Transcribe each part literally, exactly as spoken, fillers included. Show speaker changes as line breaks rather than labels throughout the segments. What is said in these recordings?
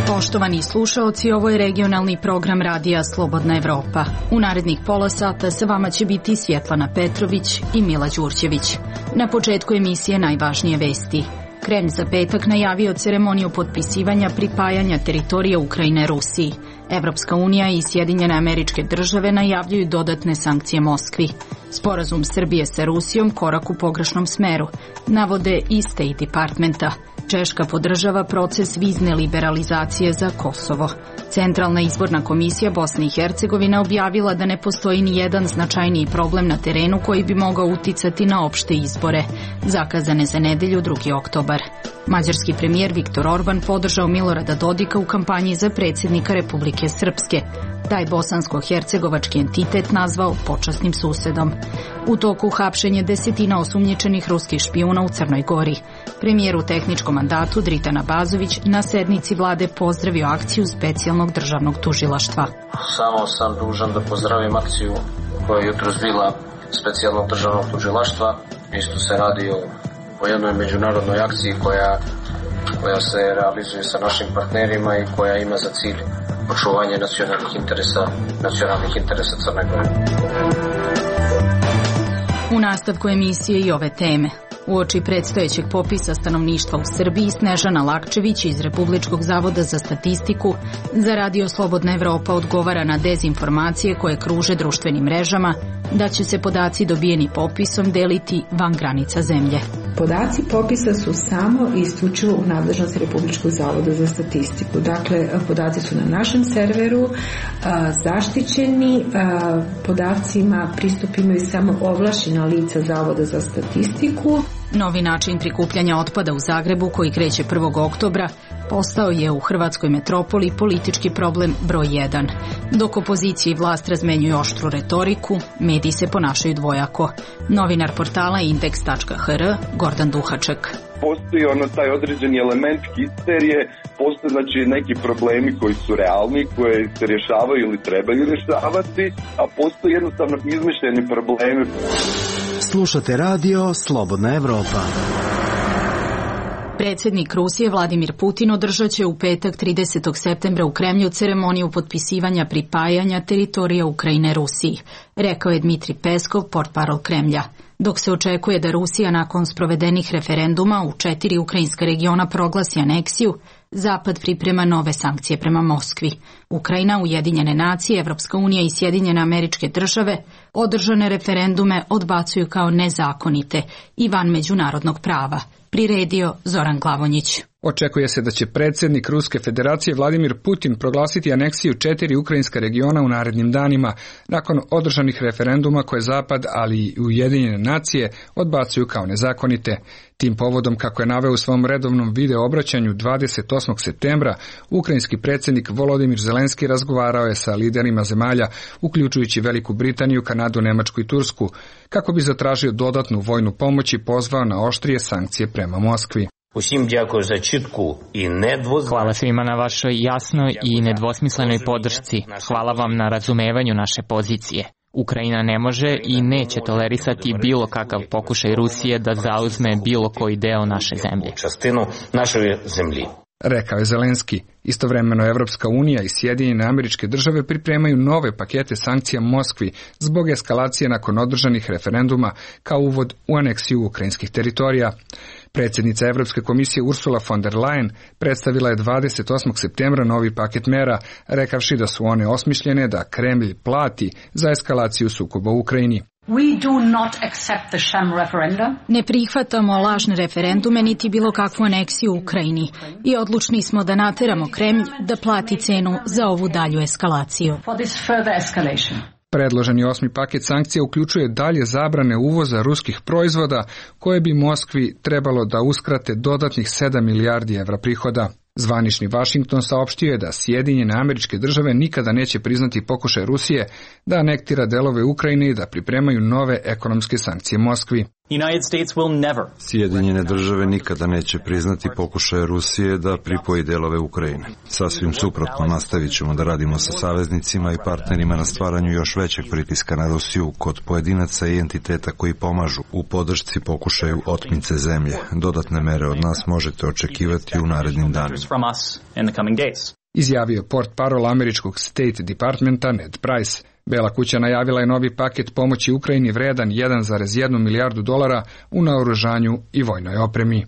Poštovani slušaoci, ovo je regionalni program Radija Slobodna Evropa. U narednih pola sata sa vama će biti Svjetlana Petrović i Mila Đurđević. Na početku emisije najvažnije vesti. Kremlj za petak najavio ceremoniju potpisivanja pripajanja teritorija Ukrajine Rusiji. Evropska unija i Sjedinjene Američke Države najavljuju dodatne sankcije Moskvi. Sporazum Srbije sa Rusijom korak u pogrešnom smeru, navode iz State Departmenta. Češka podržava proces vizne liberalizacije za Kosovo. Centralna izborna komisija Bosne i Hercegovine objavila da ne postoji ni jedan značajniji problem na terenu koji bi mogao uticati na opšte izbore, zakazane za nedelju drugi oktobar. Mađarski premijer Viktor Orban podržao Milorada Dodika u kampanji za predsjednika Republike Srpske. Taj bosansko-hercegovački entitet nazvao počasnim susedom. U toku hapšenje desetina osumnjičenih ruskih špijuna u Crnoj Gori. Premijer u tehničkom mandatu Dritan Abazović na sednici vlade pozdravio akciju specijalnog državnog tužilaštva.
Samo sam dužan da pozdravim akciju koja je jutros bila specijalnog državnog tužilaštva. Isto se radi o, o jednoj međunarodnoj akciji koja, koja se realizuje sa našim partnerima i koja ima za cilj očuvanje nacionalnih interesa, nacionalnih interesa Crne Gore.
U nastavku emisije i ove teme. Uoči predstojećeg popisa stanovništva u Srbiji, Snežana Lakčević iz Republičkog zavoda za statistiku za Radio Slobodna Evropa odgovara na dezinformacije koje kruže društvenim mrežama da će se podaci dobijeni popisom deliti van granica zemlje.
Podaci popisa su samo i isključivo u nadležnosti Republičkog zavoda za statistiku. Dakle, podaci su na našem serveru a, zaštićeni, a, podacima pristup imaju samo ovlašćena lica Zavoda za statistiku.
Novi način prikupljanja otpada u Zagrebu, koji kreće prvog oktobra, postao je u hrvatskoj metropoli politički problem broj jedan. Dok opozicija i vlast razmenjuju oštru retoriku, mediji se ponašaju dvojako. Novinar portala indeks tačka h r Gordan Duhaček.
Postoji ono taj određeni element histerije, postoje znači neki problemi koji su realni, koje se rješavaju ili trebaju rješavati, a postoji jednostavno izmišljeni problemi.
Slušate radio Slobodna Evropa.
Predsjednik Rusije Vladimir Putin održat će u petak tridesetog septembra u Kremlju ceremoniju potpisivanja pripajanja teritorija Ukrajine Rusiji, rekao je Dmitri Peskov, portparol Kremlja. Dok se očekuje da Rusija nakon sprovedenih referenduma u četiri ukrajinska regiona proglasi aneksiju, Zapad priprema nove sankcije prema Moskvi. Ukrajina, Ujedinjene nacije, Evropska unija i Sjedinjene Američke Države održane referendume odbacuju kao nezakonite i van međunarodnog prava, priredio Zoran Glavonjić.
Očekuje se da će predsjednik Ruske federacije Vladimir Putin proglasiti aneksiju četiri ukrajinska regiona u narednim danima, nakon održanih referenduma koje Zapad, ali i Ujedinjene nacije odbacuju kao nezakonite. Tim povodom, kako je naveo u svom redovnom video obraćanju dvadeset osmog septembra, ukrajinski predsjednik Volodimir Zelenski razgovarao je sa liderima zemalja, uključujući Veliku Britaniju, Kanadu, Nemačku i Tursku, kako bi zatražio dodatnu vojnu pomoć i pozvao na oštrije sankcije prema Moskvi.
Hvala svima na vašoj jasnoj i nedvosmislenoj podršci. Hvala vam na razumevanju naše pozicije. Ukrajina ne može i neće tolerisati bilo kakav pokušaj Rusije da zauzme bilo koji deo naše zemlje.
Rekao je Zelenski. Istovremeno Evropska unija i Sjedinjene Američke Države pripremaju nove pakete sankcija Moskvi zbog eskalacije nakon održanih referenduma kao uvod u aneksiju ukrajinskih teritorija. Predsjednica Evropske komisije Ursula von der Leyen predstavila je dvadeset osmog septembra novi paket mera, rekavši da su one osmišljene da Kremlj plati za eskalaciju sukoba u Ukrajini.
We do not accept the sham referendum.
Ne prihvatamo lažne referendume niti bilo kakvu aneksiju u Ukrajini i odlučni smo da nateramo Kremlj da plati cenu za ovu dalju eskalaciju.
For this further escalation.
Predloženi osmi paket sankcija uključuje dalje zabrane uvoza ruskih proizvoda koje bi Moskvi trebalo da uskrate dodatnih sedam milijardi evra prihoda. Zvanični Vašington saopštio je da Sjedinjene Američke Države nikada neće priznati pokušaj Rusije da anektira delove Ukrajine i da pripremaju nove ekonomske sankcije Moskvi.
Sjedinjene države nikada neće priznati pokušaje Rusije da pripoji delove Ukrajine. Sasvim suprotno, nastavit ćemo da radimo sa saveznicima i partnerima na stvaranju još većeg pritiska na Rusiju kod pojedinaca i entiteta koji pomažu u podršci pokušaju otmice zemlje. Dodatne mere od nas možete očekivati u narednim danima.
Izjavio portparol američkog State Departmenta Ned Price. Bela kuća najavila je novi paket pomoći Ukrajini vredan jedan zarez jedan milijardu dolara u naoružanju i vojnoj opremi.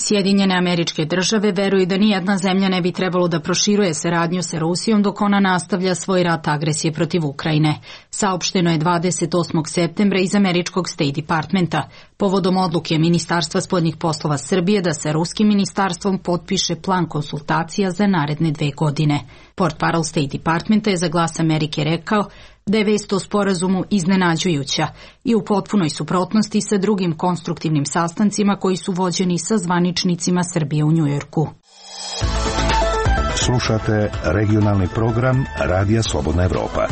Sjedinjene Američke Države veruju da nijedna zemlja ne bi trebalo da proširuje saradnju sa Rusijom dok ona nastavlja svoj rat agresije protiv Ukrajine. Saopšteno je dvadeset osmog septembra iz američkog State Departmenta, povodom odluke Ministarstva spoljnih poslova Srbije da sa ruskim ministarstvom potpiše plan konsultacija za naredne dve godine. Portparol State Departmenta je za Glas Amerike rekao da je vest o sporazumu iznenađujuća i u potpunoj suprotnosti sa drugim konstruktivnim sastancima koji su vođeni sa zvaničnicima Srbije u Njujorku.
Slušate regionalni program Radija Slobodna Evropa.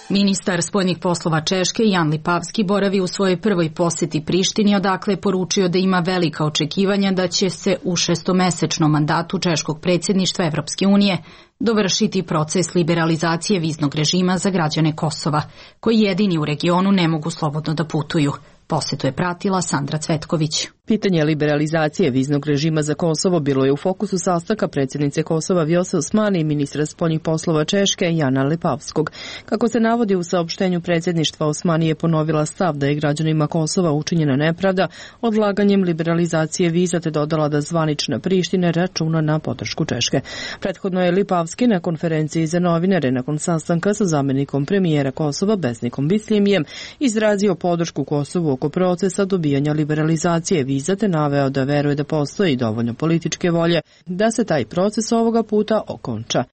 Ministar spoljnih poslova Češke Jan Lipavski boravi u svojoj prvoj poseti Prištini, odakle je poručio da ima velika očekivanja da će se u šestomesečnom mandatu češkog predsjedništva Evropske unije dovršiti proces liberalizacije viznog režima za građane Kosova, koji jedini u regionu ne mogu slobodno da putuju. Posetu je pratila Sandra Cvetković.
Pitanje liberalizacije viznog režima za Kosovo bilo je u fokusu sastanka predsjednice Kosova Vjose Osmani i ministra spoljnih poslova Češke Jana Lipavskog. Kako se navodi u saopštenju predsjedništva, Osmani je ponovila stav da je građanima Kosova učinjena nepravda odlaganjem liberalizacije viza, te dodala da zvanična Priština računa na podršku Češke. Prethodno je Lipavski na konferenciji za novinare nakon sastanka sa zamjenikom premijera Kosova Besnikom Bislimijem izrazio podršku Kosovu oko procesa dobijanja liberalizacije viza, te naveo da veruje da postoji dovoljno političke volje da se taj proces ovoga puta okonča.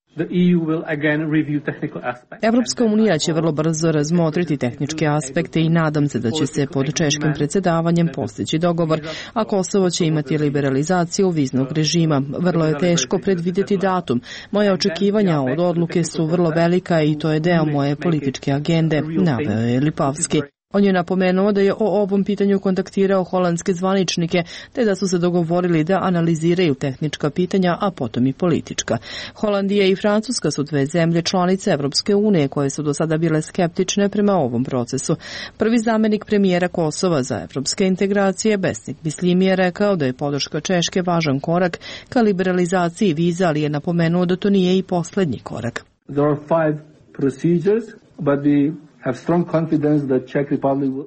Evropska unija će vrlo brzo razmotriti tehničke aspekte i nadam se da će se pod češkim predsjedavanjem postići dogovor, a Kosovo će imati liberalizaciju viznog režima. Vrlo je teško predvidjeti datum. Moje očekivanja od odluke su vrlo velika i to je deo moje političke agende, naveo je Lipavski. On je napomenuo da je o ovom pitanju kontaktirao holandske zvaničnike, te da su se dogovorili da analiziraju tehnička pitanja, a potom i politička. Holandija i Francuska su dve zemlje članice Evropske unije koje su do sada bile skeptične prema ovom procesu. Prvi zamjenik premijera Kosova za evropske integracije, Besnik Bislimi, je rekao da je podrška Češke važan korak ka liberalizaciji viza, ali je napomenuo da to nije i posljednji korak.
There are five procedures, but the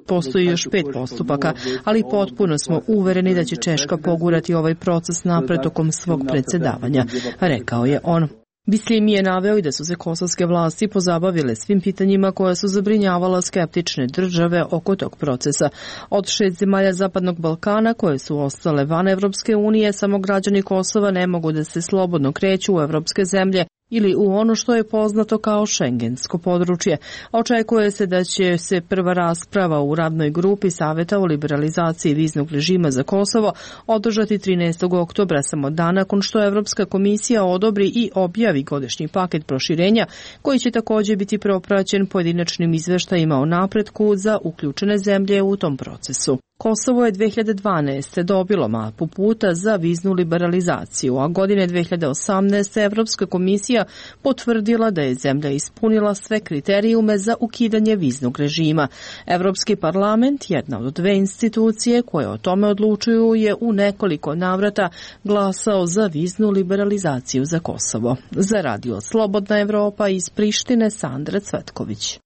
Postoji još pet postupaka, ali potpuno smo uvereni da će Češka pogurati ovaj proces napred tokom svog predsjedavanja, rekao je on. Bislimi je naveo i da su se kosovske vlasti pozabavile svim pitanjima koja su zabrinjavala skeptične države oko tog procesa. Od šest zemalja Zapadnog Balkana koje su ostale van Evropske unije, samo građani Kosova ne mogu da se slobodno kreću u evropske zemlje ili u ono što je poznato kao šengensko područje. Očekuje se da će se prva rasprava u radnoj grupi Saveta o liberalizaciji viznog režima za Kosovo održati trinaestog oktobra, samo dan nakon što Evropska komisija odobri i objavi godišnji paket proširenja, koji će također biti propraćen pojedinačnim izveštajima o napretku za uključene zemlje u tom procesu. Kosovo je dve hiljade dvanaeste. dobilo mapu puta za viznu liberalizaciju, a godine dve hiljade osamnaeste. Evropska komisija potvrdila da je zemlja ispunila sve kriterijume za ukidanje viznog režima. Evropski parlament, jedna od dve institucije koje o tome odlučuju, je u nekoliko navrata glasao za viznu liberalizaciju za Kosovo. Za Radio Slobodna Evropa iz Prištine, Sandra Cvetković.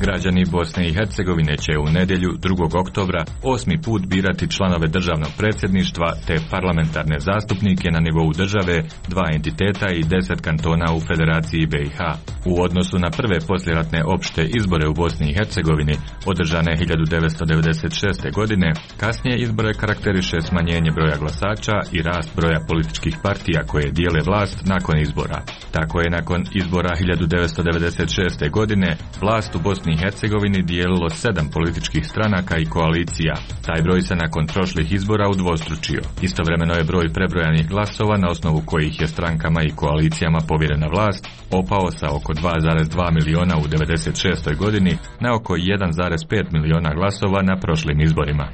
Građani Bosne i Hercegovine će u nedjelju drugog oktobra osmi put birati članove državnog predsjedništva te parlamentarne zastupnike na nivou države, dva entiteta i deset kantona u Federaciji B i H. U odnosu na prve poslijeratne opšte izbore u Bosni i Hercegovini, održane hiljadu devetsto devedeset šeste. godine, kasnije izbore karakteriše smanjenje broja glasača i rast broja političkih partija koje dijele vlast nakon izbora. Tako je nakon izbora hiljadu devetsto devedeset šeste. godine vlast u Bosni Bosni i Hercegovini dijelilo sedam političkih stranaka i koalicija. Taj broj se nakon prošlih izbora udvostručio. Istovremeno je broj prebrojanih glasova na osnovu kojih je strankama i koalicijama povjerena vlast opao sa oko dva zarez dva miliona u devedeset šestoj godini na oko jedan zarez pet miliona glasova na prošlim izborima.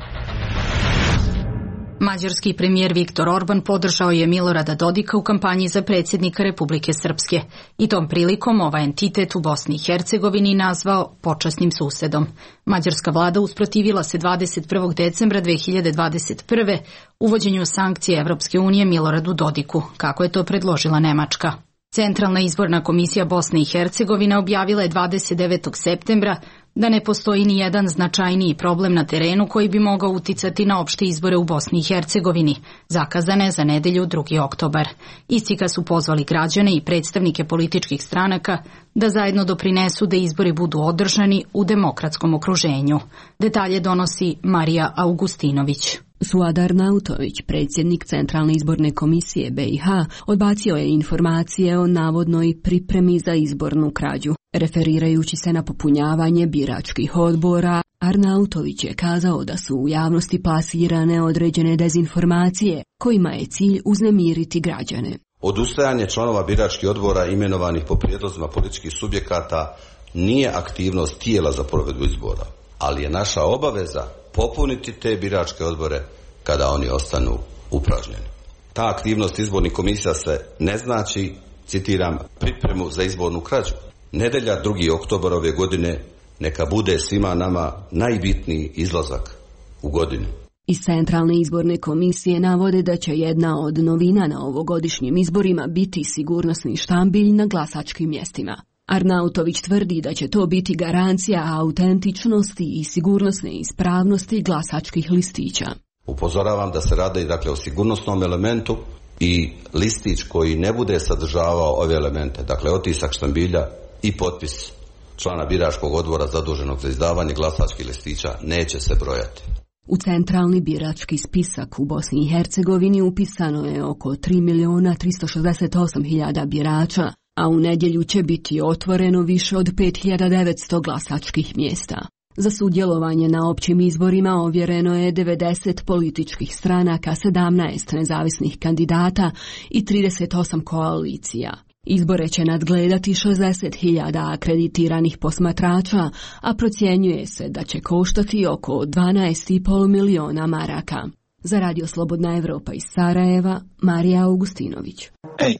Mađarski premijer Viktor Orban podržao je Milorada Dodika u kampanji za predsjednika Republike Srpske i tom prilikom ovaj entitet u Bosni i Hercegovini nazvao počasnim susedom. Mađarska vlada usprotivila se dvadeset prvog decembra dve hiljade dvadeset prve uvođenju sankcije Evropske unije Miloradu Dodiku, kako je to predložila Nemačka. Centralna izborna komisija Bosne i Hercegovine objavila je dvadeset devetog septembra da ne postoji ni jedan značajniji problem na terenu koji bi mogao uticati na opšte izbore u Bosni i Hercegovini, zakazane za nedelju drugi oktobar. Istika su pozvali građane i predstavnike političkih stranaka da zajedno doprinesu da izbori budu održani u demokratskom okruženju. Detalje donosi Marija Augustinović.
Suad Arnautović, predsjednik Centralne izborne komisije B i H, odbacio je informacije o navodnoj pripremi za izbornu krađu. Referirajući se na popunjavanje biračkih odbora, Arnautović je kazao da su u javnosti plasirane određene dezinformacije, kojima je cilj uznemiriti građane.
Odustajanje članova biračkih odbora imenovanih po prijedlozima političkih subjekata nije aktivnost tijela za provedbu izbora, ali je naša obaveza popuniti te biračke odbore kada oni ostanu upražnjeni. Ta aktivnost izbornih komisija se ne znači, citiram, pripremu za izbornu krađu. Nedelja drugi oktobar ove godine neka bude svima nama najbitniji izlazak u godini.
Iz Centralne izborne komisije navode da će jedna od novina na ovogodišnjim izborima biti sigurnosni štambilj na glasačkim mjestima. Arnautović tvrdi da će to biti garancija autentičnosti i sigurnosne ispravnosti glasačkih listića.
Upozoravam da se radi dakle o sigurnosnom elementu i listić koji ne bude sadržavao ove elemente, dakle otisak štambilja i potpis člana biračkog odbora zaduženog za izdavanje glasačkih listića neće se brojati.
U centralni birački spisak u Bosni i Hercegovini upisano je oko tri miliona tristo šezdeset osam hiljada birača, a u nedjelju će biti otvoreno više od pet hiljada devetsto glasačkih mjesta. Za sudjelovanje na općim izborima ovjereno je devedeset političkih stranaka, sedamnaest nezavisnih kandidata i trideset osam koalicija. Izbore će nadgledati šezdeset hiljada akreditiranih posmatrača, a procjenjuje se da će koštati oko dvanaest i pol miliona maraka. Za Radio Slobodna Evropa iz Sarajeva, Marija Augustinović.
Ej.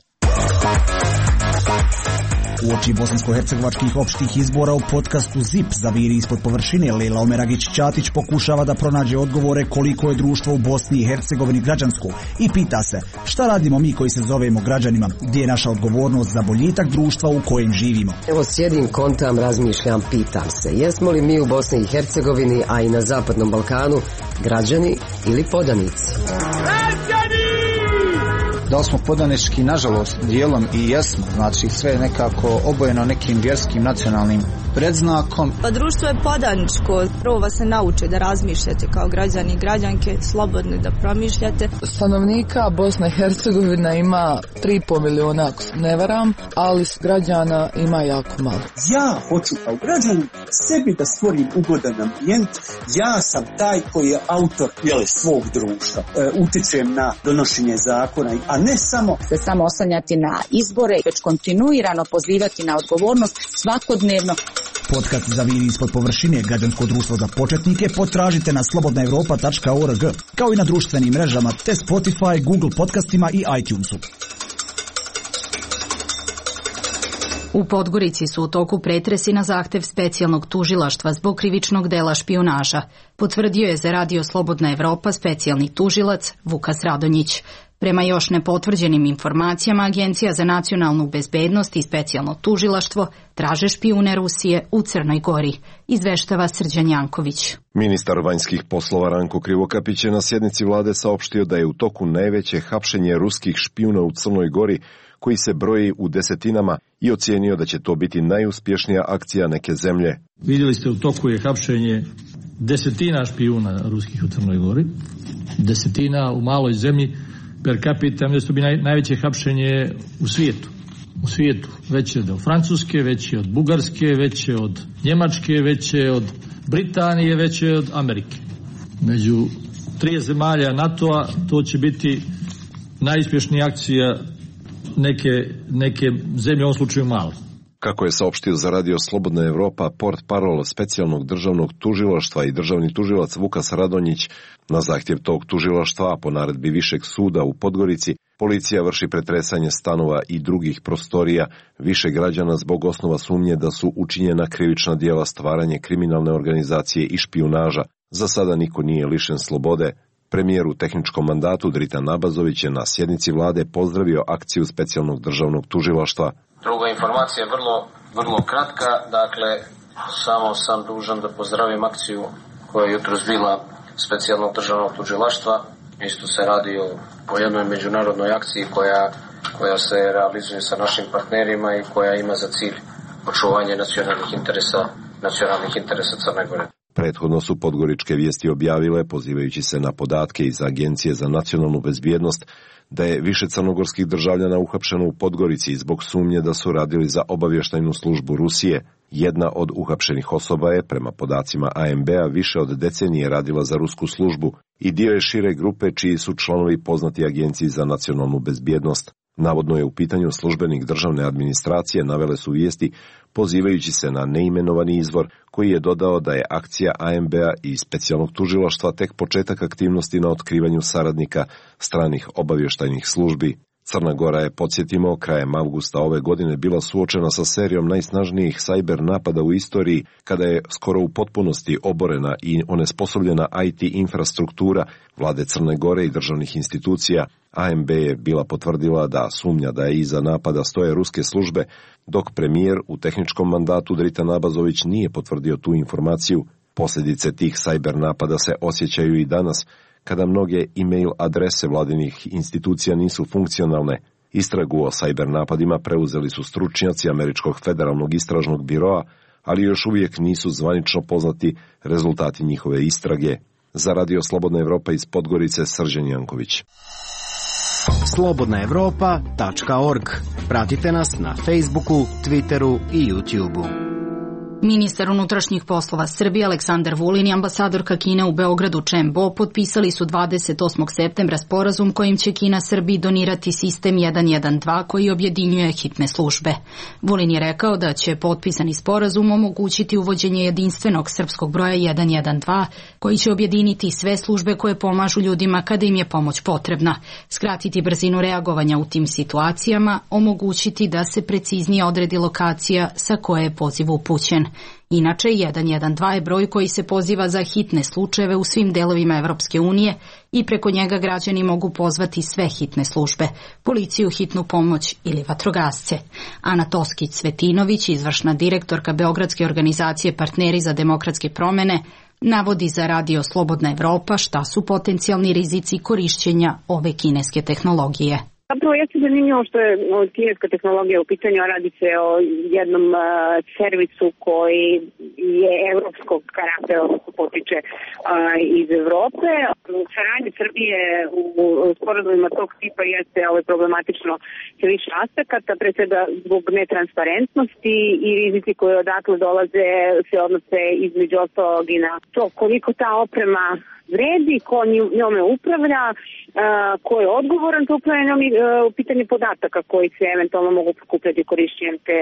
Uoči bosansko-hercegovačkih opštih izbora u podcastu ZIP Zaviri ispod površine Lejla Omeragić-Ćatić pokušava da pronađe odgovore koliko je društvo u Bosni i Hercegovini građansko i pita se šta radimo mi koji se zovemo građanima, gdje je naša odgovornost za boljitak društva u kojem živimo.
Evo sjedim, kontam, razmišljam, pitam se, jesmo li mi u Bosni i Hercegovini, a i na Zapadnom Balkanu, građani ili podanici?
Da li smo podanički, nažalost, dijelom i jesmo, znači sve je nekako obojeno nekim vjerskim nacionalnim predznakom.
Pa društvo je podaničko, prvo vas se nauče da razmišljate kao građani i građanke, slobodni da promišljate.
Stanovnika Bosna i Hercegovina ima tri i pol miliona, ako se ne varam, ali građana ima jako malo.
Ja hoću kao građanin sebi da stvorim ugodan ambijent, ja sam taj koji je autor jele, svog društva, e, utičem na donošenje zakona, a ne samo
se samo oslanjati na izbore, već kontinuirano pozivati na odgovornost svakodnevno.
Podcast Zaviri ispod površine, građansko društvo za početnike, potražite na slobodna evropa tačka org, kao i na društvenim mrežama te Spotify, Google podcastima i iTunesu.
U Podgorici su u toku pretresi na zahtev specijalnog tužilaštva zbog krivičnog dela špijunaža, potvrdio je za Radio Slobodna Evropa specijalni tužilac Vukas Radonjić. Prema još nepotvrđenim informacijama, Agencija za nacionalnu bezbednost i specijalno tužilaštvo traže špijune Rusije u Crnoj Gori, izveštava Srđan Janković.
Ministar vanjskih poslova Ranko Krivokapić je na sjednici vlade saopštio da je u toku najveće hapšenje ruskih špijuna u Crnoj Gori, koji se broji u desetinama, i ocijenio da će to biti najuspješnija akcija neke zemlje.
Vidjeli ste, u toku je hapšenje desetina špijuna ruskih u Crnoj Gori, desetina u maloj zemlji per capita, mislim da bi naj, najveće hapšenje u svijetu. u svijetu. Veće od Francuske, veće od Bugarske, veće od Njemačke, veće od Britanije, veće od Amerike. Među tri zemalja NATO-a to će biti najuspješnija akcija neke, neke zemlje, u ovom slučaju male.
Kako je saopštio za Radio Slobodna Evropa port parol specijalnog državnog tužilaštva i državni tužilac Vukas Radonjić, na zahtjev tog tužilaštva, po naredbi Višeg suda u Podgorici, policija vrši pretresanje stanova i drugih prostorija više građana zbog osnova sumnje da su učinjena krivična djela stvaranje kriminalne organizacije i špijunaža. Za sada niko nije lišen slobode. Premijer u tehničkom mandatu Dritan Nabazović je na sjednici vlade pozdravio akciju specijalnog državnog tužilaštva.
Druga informacija je vrlo, vrlo kratka, dakle samo sam dužan da pozdravim akciju koja je jutros bila specijalnog državnog tužilaštva. Isto se radi o, o jednoj međunarodnoj akciji koja, koja se realizuje sa našim partnerima i koja ima za cilj očuvanje nacionalnih interesa, nacionalnih interesa Crne Gore.
Prethodno su podgoričke vijesti objavile, pozivajući se na podatke iz Agencije za nacionalnu bezbjednost, da je više crnogorskih državljana uhapšeno u Podgorici zbog sumnje da su radili za obavještajnu službu Rusije. Jedna od uhapšenih osoba je, prema podacima A M B-a, više od decenije radila za rusku službu i dio je šire grupe čiji su članovi poznati Agenciji za nacionalnu bezbjednost. Navodno je u pitanju službenik državne administracije, navele su vijesti, pozivajući se na neimenovani izvor koji je dodao da je akcija A M B-a i specijalnog tužilaštva tek početak aktivnosti na otkrivanju saradnika stranih obavještajnih službi. Crna Gora je, podsjetimo, krajem avgusta ove godine bila suočena sa serijom najsnažnijih sajber napada u istoriji, kada je skoro u potpunosti oborena i onesposobljena I T infrastruktura vlade Crne Gore i državnih institucija. A M B je bila potvrdila da sumnja da je iza napada stoje ruske službe, dok premijer u tehničkom mandatu Dritan Nabazović nije potvrdio tu informaciju. Posljedice tih sajber napada se osjećaju i danas, kada mnoge e-mail adrese vladinih institucija nisu funkcionalne. Istragu o sajber napadima preuzeli su stručnjaci Američkog federalnog istražnog biroa, ali još uvijek nisu zvanično poznati rezultati njihove istrage. Za Radio Slobodna Evropa iz Podgorice, Srđan Janković.
slobodna evropa tačka org. Pratite nas na Facebooku, Twitteru i YouTubeu.
Ministar unutrašnjih poslova Srbije Aleksandar Vulin i ambasadorka Kine u Beogradu Čen Bo potpisali su dvadeset osmog septembra sporazum kojim će Kina Srbiji donirati sistem jedan jedan dva koji objedinjuje hitne službe. Vulin je rekao da će potpisani sporazum omogućiti uvođenje jedinstvenog srpskog broja jedan jedan dva koji će objediniti sve službe koje pomažu ljudima kada im je pomoć potrebna, skratiti brzinu reagovanja u tim situacijama, omogućiti da se preciznije odredi lokacija sa koje je poziv upućen. Inače, jedan jedan dva je broj koji se poziva za hitne slučajeve u svim delovima Evropske unije i preko njega građani mogu pozvati sve hitne službe, policiju, hitnu pomoć ili vatrogasce. Ana Toskić-Cvetinović, izvršna direktorka Beogradske organizacije Partneri za demokratske promene, navodi za Radio Slobodna Evropa šta su potencijalni rizici korišćenja ove kineske tehnologije.
Zapravo jeste zanimljivo što je kineska tehnologija u pitanju, a radi se o jednom uh, servisu koji je evropskog karaktera, odnosno potiče uh, iz Evrope. Saradnje Srbije u, u sporazumima tog tipa jeste ovaj, problematično sa više aspekata, pre svega zbog netransparentnosti i rizici koji odatle dolaze se odnose između ostalog i na to koliko ta oprema vredi, ko njome upravlja, ko je odgovoran za upravljanje u pitanju podataka koji se eventualno mogu prikupljati korišćenjem te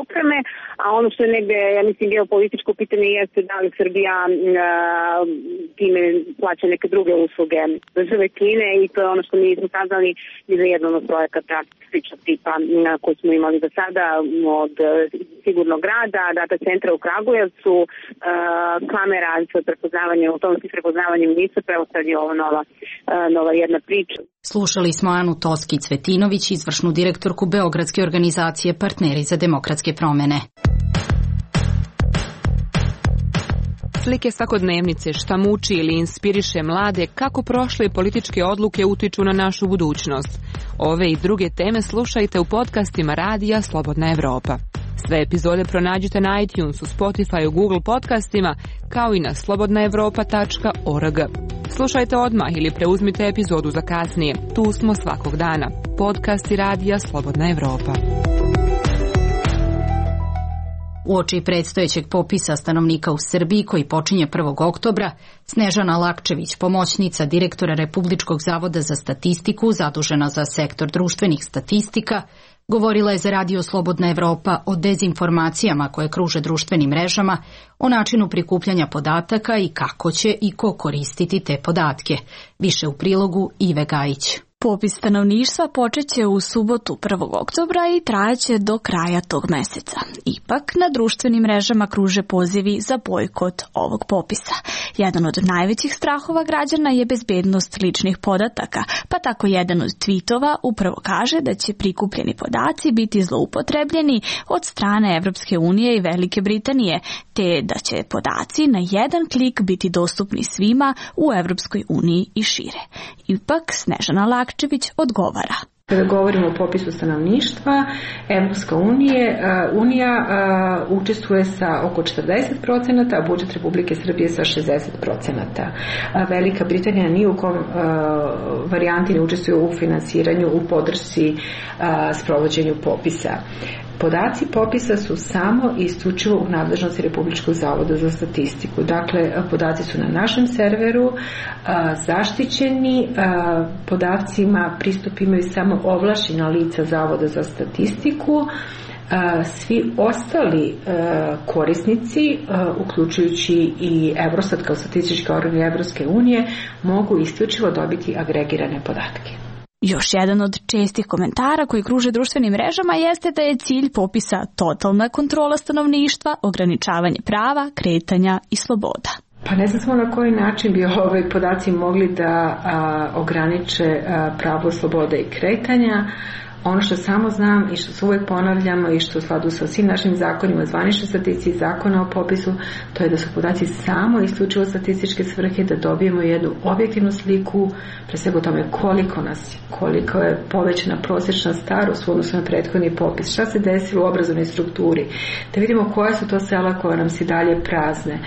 opreme, a ono što je negde, ja mislim, geopolitičko pitanje jeste da li Srbija time plaća neke druge usluge države Kine i to je ono što mi smo saznali ni za jednom od projekata sličnog tipa koji smo imali do sada od Sigurnog grada, data centra u Kragujevcu, kamera za prepoznavanje, automatski prepoznavanje nisu, pravo sad je ovo nova, nova jedna priča.
Slušali smo Anu Toskić-Cvetinović, izvršnu direktorku Beogradske organizacije Partneri za demokratske promene.
Slike svakodnevnice, šta muči ili inspiriše mlade, kako prošle političke odluke utiču na našu budućnost. Ove i druge teme slušajte u podcastima Radija Slobodna Evropa. Sve epizode pronađite na iTunesu, Spotifyu, Google podcastima, kao i na slobodna evropa tačka org. Slušajte odmah ili preuzmite epizodu za kasnije. Tu smo svakog dana. Podcasti Radija Slobodna Evropa.
Uoči predstojećeg popisa stanovnika u Srbiji koji počinje prvog oktobra, Snežana Lakčević, pomoćnica direktora Republičkog zavoda za statistiku, zadužena za sektor društvenih statistika, govorila je za Radio Slobodna Evropa o dezinformacijama koje kruže društvenim mrežama, o načinu prikupljanja podataka i kako će i ko koristiti te podatke. Više u prilogu Ive Gajić.
Popis stanovništva počeće u subotu prvog oktobra i trajaće do kraja tog meseca. Ipak, na društvenim mrežama kruže pozivi za bojkot ovog popisa. Jedan od najvećih strahova građana je bezbednost ličnih podataka, pa tako jedan od tweetova upravo kaže da će prikupljeni podaci biti zloupotrebljeni od strane Evropske unije i Velike Britanije, te da će podaci na jedan klik biti dostupni svima u Evropskoj uniji i šire. Ipak, Snežana Lakčević odgovara.
Kada govorimo o popisu stanovništva, Evropska unije, unija uh, učestvuje sa oko četrdeset procenata, a budžet Republike Srbije sa šezdeset procenata. Velika Britanija ni u kom uh, varijanti ne učestvuje u finansiranju, u podršci uh, sprovođenju popisa. Podaci popisa su samo i isključivo u nadležnosti Republičkog zavoda za statistiku. Dakle, podaci su na našem serveru zaštićeni, podacima pristup imaju samo ovlašćena lica Zavoda za statistiku. Svi ostali korisnici, uključujući i Eurostat kao statistički organ Evropske unije, mogu isključivo dobiti agregirane podatke.
Još jedan od čestih komentara koji kruže društvenim mrežama jeste da je cilj popisa totalna kontrola stanovništva, ograničavanje prava, kretanja i sloboda.
Pa ne znam samo na koji način bi ovaj podaci mogli da a, ograniče a, pravo, sloboda i kretanja. Ono što samo znam i što se uvijek ponavljamo i što u skladu sa svim našim zakonima, zvanične statistici, zakona o popisu, to je da su podaci samo isključivo statističke svrhe, da dobijemo jednu objektivnu sliku, pre svega o tome koliko nas je, koliko je povećana prosječna starost u odnosu na prethodni popis, šta se desilo u obrazovnoj strukturi, da vidimo koja su to sela koja nam se dalje prazne,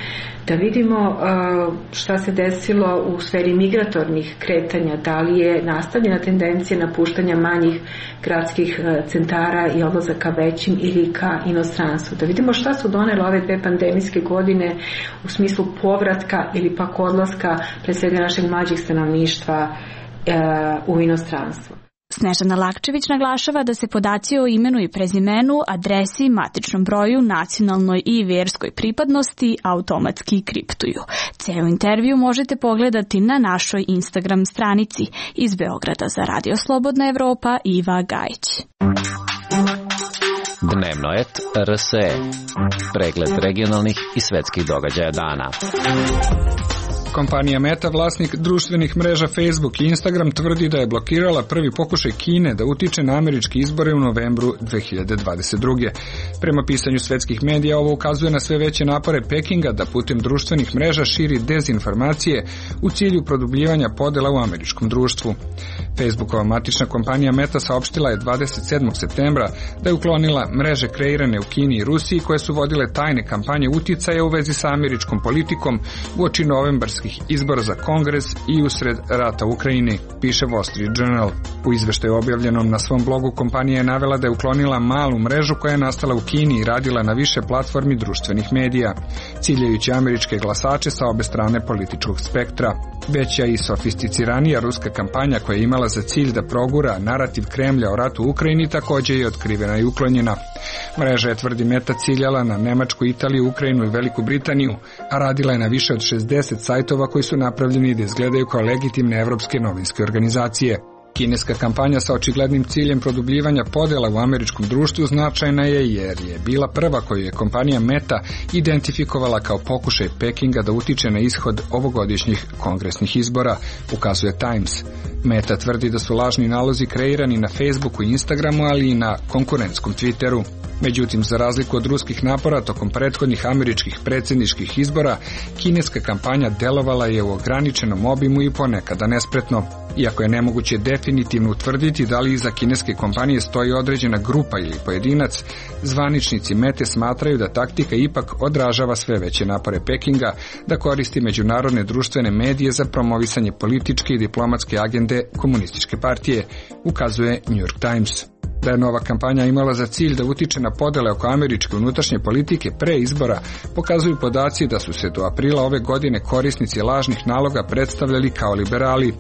da vidimo uh, šta se desilo u sferi migratornih kretanja, da li je nastavljena tendencija napuštanja manjih gradskih centara i odlazaka većim ili ka inostranstvu. Da vidimo šta su donele ove dve pandemijske godine u smislu povratka ili pak odlaska pre svega našeg mlađeg stanovništva e, u inostranstvo.
Snežana Lakčević naglašava da se podaci o imenu i prezimenu, adresi, matičnom broju, nacionalnoj i vjerskoj pripadnosti automatski kriptuju. Ceo intervju možete pogledati na našoj Instagram stranici. Iz Beograda za Radio Slobodna Evropa, Iva Gajić.
Dnevnoet R S E. Pregled regionalnih i svetskih događaja dana.
Kompanija Meta, vlasnik društvenih mreža Facebook i Instagram, tvrdi da je blokirala prvi pokušaj Kine da utiče na američke izbore u novembru dve hiljade dvadeset druge. Prema pisanju svetskih medija, ovo ukazuje na sve veće napore Pekinga da putem društvenih mreža širi dezinformacije u cilju produbljivanja podela u američkom društvu. Facebookova matična kompanija Meta saopštila je dvadeset sedmog septembra da je uklonila mreže kreirane u Kini i Rusiji koje su vodile tajne kampanje uticaja u vezi sa američkom politikom uoči novembarskih izbora za Kongres i usred rata u Ukrajini, piše Wall Street Journal. U izveštaju objavljenom na svom blogu kompanija je navela da je uklonila malu mrežu koja je nastala u Kini i radila na više platformi društvenih medija, ciljajući američke glasače sa obe strane političkog spektra. Veća i sofisticiranija ruska kampanja koja je imala za cilj da progura narativ Kremlja o ratu u Ukrajini također je otkrivena i uklonjena. Mreža je, tvrdi Meta, ciljala na Nemačku, Italiju, Ukrajinu i Veliku Britaniju, a radila je na više od šezdeset sajtova koji su napravljeni da izgledaju kao legitimne evropske novinske organizacije. Kineska kampanja sa očiglednim ciljem produbljivanja podela u američkom društvu značajna je jer je bila prva koju je kompanija Meta identifikovala kao pokušaj Pekinga da utiče na ishod ovogodišnjih kongresnih izbora, ukazuje Times. Meta tvrdi da su lažni nalozi kreirani na Facebooku i Instagramu, ali i na konkurentskom Twitteru. Međutim, za razliku od ruskih napora tokom prethodnih američkih predsjedničkih izbora, kineska kampanja delovala je u ograničenom obimu i ponekada nespretno. Iako je nemoguće definitivno utvrditi da li iza kineske kompanije stoji određena grupa ili pojedinac, zvaničnici Mete smatraju da taktika ipak odražava sve veće napore Pekinga da koristi međunarodne društvene medije za promovisanje političke i diplomatske agende komunističke partije, ukazuje New York Times. Da je nova kampanja imala za cilj da utiče na podele oko američke unutrašnje politike pre izbora, pokazuju podaci da su se do aprila ove godine korisnici lažnih naloga predstavljali kao liberali,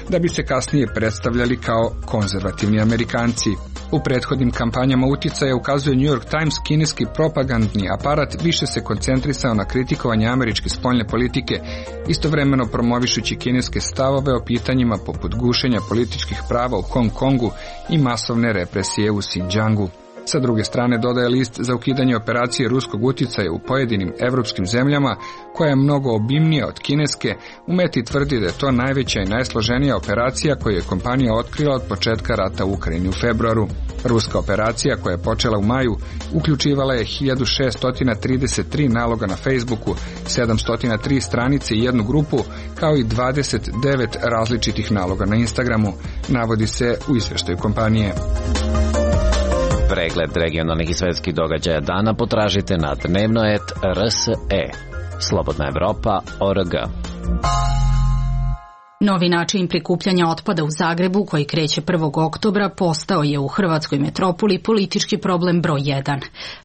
da bi se kasnije predstavljali kao konzervativni Amerikanci. U prethodnim kampanjama uticaja, ukazuje New York Times, kineski propagandni aparat više se koncentrisao na kritikovanje američke spoljne politike, istovremeno promovišući kineske stavove o pitanjima poput gušenja političkih prava u Hong Kongu i masovne represije u Xinjiangu. Sa druge strane, dodaje list za ukidanje operacije ruskog uticaja u pojedinim evropskim zemljama, koja je mnogo obimnija od kineske. U Meti tvrdi da je to najveća i najsloženija operacija koju je kompanija otkrila od početka rata u Ukrajini u februaru. Ruska operacija, koja je počela u maju, uključivala je hiljadu šessto trideset tri naloga na Facebooku, sedamsto tri stranice i jednu grupu, kao i dvadeset devet različitih naloga na Instagramu, navodi se u izveštaju kompanije.
Pregled regionalnih i svetskih događaja dana potražite na dnevno et er es e. Slobodna Evropa tačka org.
Novi način prikupljanja otpada u Zagrebu, koji kreće prvog oktobra, postao je u hrvatskoj metropoli politički problem broj jedan.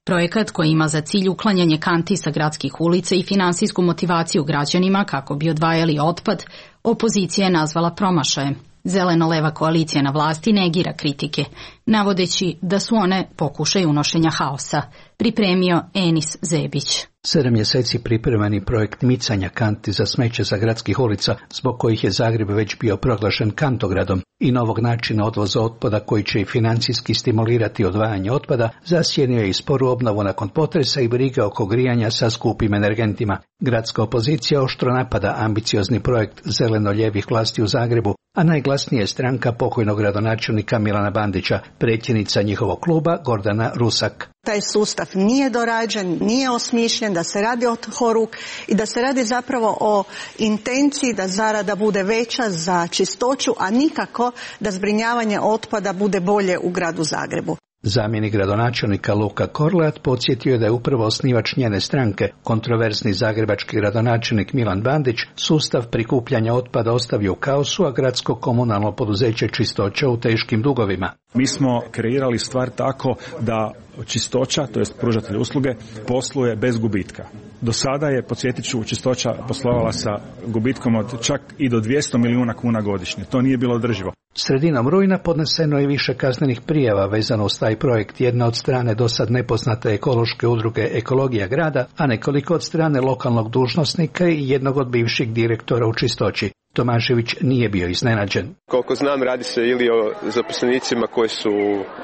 Projekat koji ima za cilj uklanjanje kanti sa gradskih ulica i finansijsku motivaciju građanima kako bi odvajali otpad, opozicija je nazvala promašajem. Zeleno-leva koalicija na vlasti negira kritike, navodeći da su one pokušaj unošenja haosa, pripremio Enis Zebić.
Sedam mjeseci pripremani projekt micanja kanti za smeće za gradskih ulica, zbog kojih je Zagreb već bio proglašen kantogradom, i novog načina odvoza otpada koji će i financijski stimulirati odvajanje otpada, zasjenio je i sporu obnovu nakon potresa i brige oko grijanja sa skupim energentima. Gradska opozicija oštro napada ambiciozni projekt zeleno-ljevih vlasti u Zagrebu, a najglasnije je stranka pokojnog gradonačelnika Milana Bandića, predsjednica njihovog kluba Gordana Rusak.
Taj sustav nije dorađen, nije osmišljen, da se radi od horuk i da se radi zapravo o intenciji da zarada bude veća za čistoću, a nikako da zbrinjavanje otpada bude bolje u gradu Zagrebu.
Zamjenik gradonačelnika Luka Korleat podsjetio je da je upravo osnivač njene stranke, kontroverzni zagrebački gradonačelnik Milan Bandić, sustav prikupljanja otpada ostavio u kaosu, a gradsko komunalno poduzeće Čistoća u teškim dugovima.
Mi smo kreirali stvar tako da Čistoća, to jest pružatelj usluge, posluje bez gubitka. Do sada je, podsjetit ću, Čistoća poslovala sa gubitkom od čak i do dvjesto milijuna kuna godišnje. To nije bilo održivo.
Sredinom rujna podneseno je više kaznenih prijava vezano uz taj projekt, jedna od strane dosad nepoznate ekološke udruge Ekologija grada, a nekoliko od strane lokalnog dužnosnika i jednog od bivših direktora u Čistoći. Tomašević nije bio iznenađen.
Koliko znam, radi se ili o zaposlenicima koji su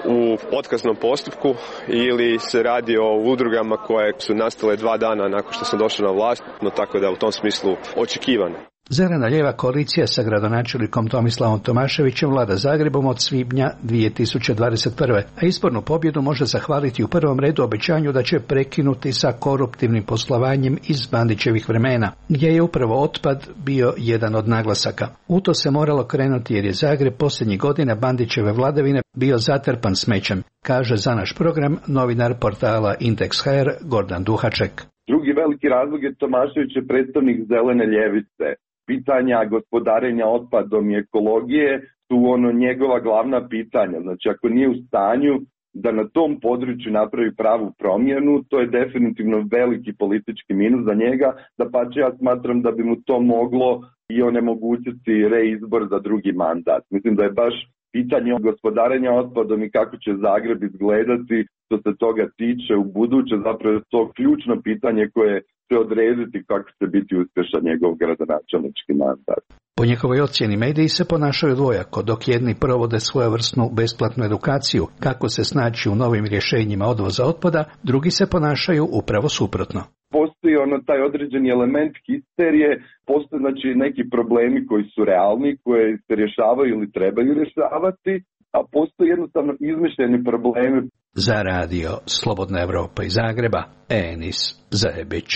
u otkaznom postupku ili se radi o udrugama koje su nastale dva dana nakon što sam došao na vlast, no tako da u tom smislu očekivano.
Zeleno-lijeva koalicija sa gradonačelnikom Tomislavom Tomaševićem vlada Zagrebom od svibnja dvije tisuće dvadeset prve. a izbornu pobjedu može zahvaliti u prvom redu obećanju da će prekinuti sa koruptivnim poslovanjem iz Bandićevih vremena, gdje je upravo otpad bio jedan od naglasaka. U to se moralo krenuti jer je Zagreb posljednjih godina Bandićeve vladavine bio zatrpan smećem, kaže za naš program novinar portala Indeks punkt hr Gordan Duhaček.
Drugi veliki razlog je Tomašević je predstavnik zelene ljevice. Pitanja gospodarenja otpadom i ekologije su ono njegova glavna pitanja. Znači, ako nije u stanju da na tom području napravi pravu promjenu, to je definitivno veliki politički minus za njega. Da pa ja smatram da bi mu to moglo i onemogućiti reizbor za drugi mandat. Mislim da je baš pitanje gospodarenja otpadom i kako će Zagreb izgledati što se toga tiče u buduće, zapravo je to ključno pitanje koje će odrediti kako će biti uspješan njegov gradonačelnički mandat.
Po njihovoj ocjeni mediji se ponašaju dvojako, dok jedni provode svojevrsnu besplatnu edukaciju kako se snaći u novim rješenjima odvoza otpada, drugi se ponašaju upravo suprotno.
Postoji ono taj određeni element histerije, postoje znači neki problemi koji su realni, koje se rješavaju ili trebaju rješavati, a postoji jednostavno izmišljeni problemi.
Za radio Slobodna Evropa iz Zagreba, Enis Zebić.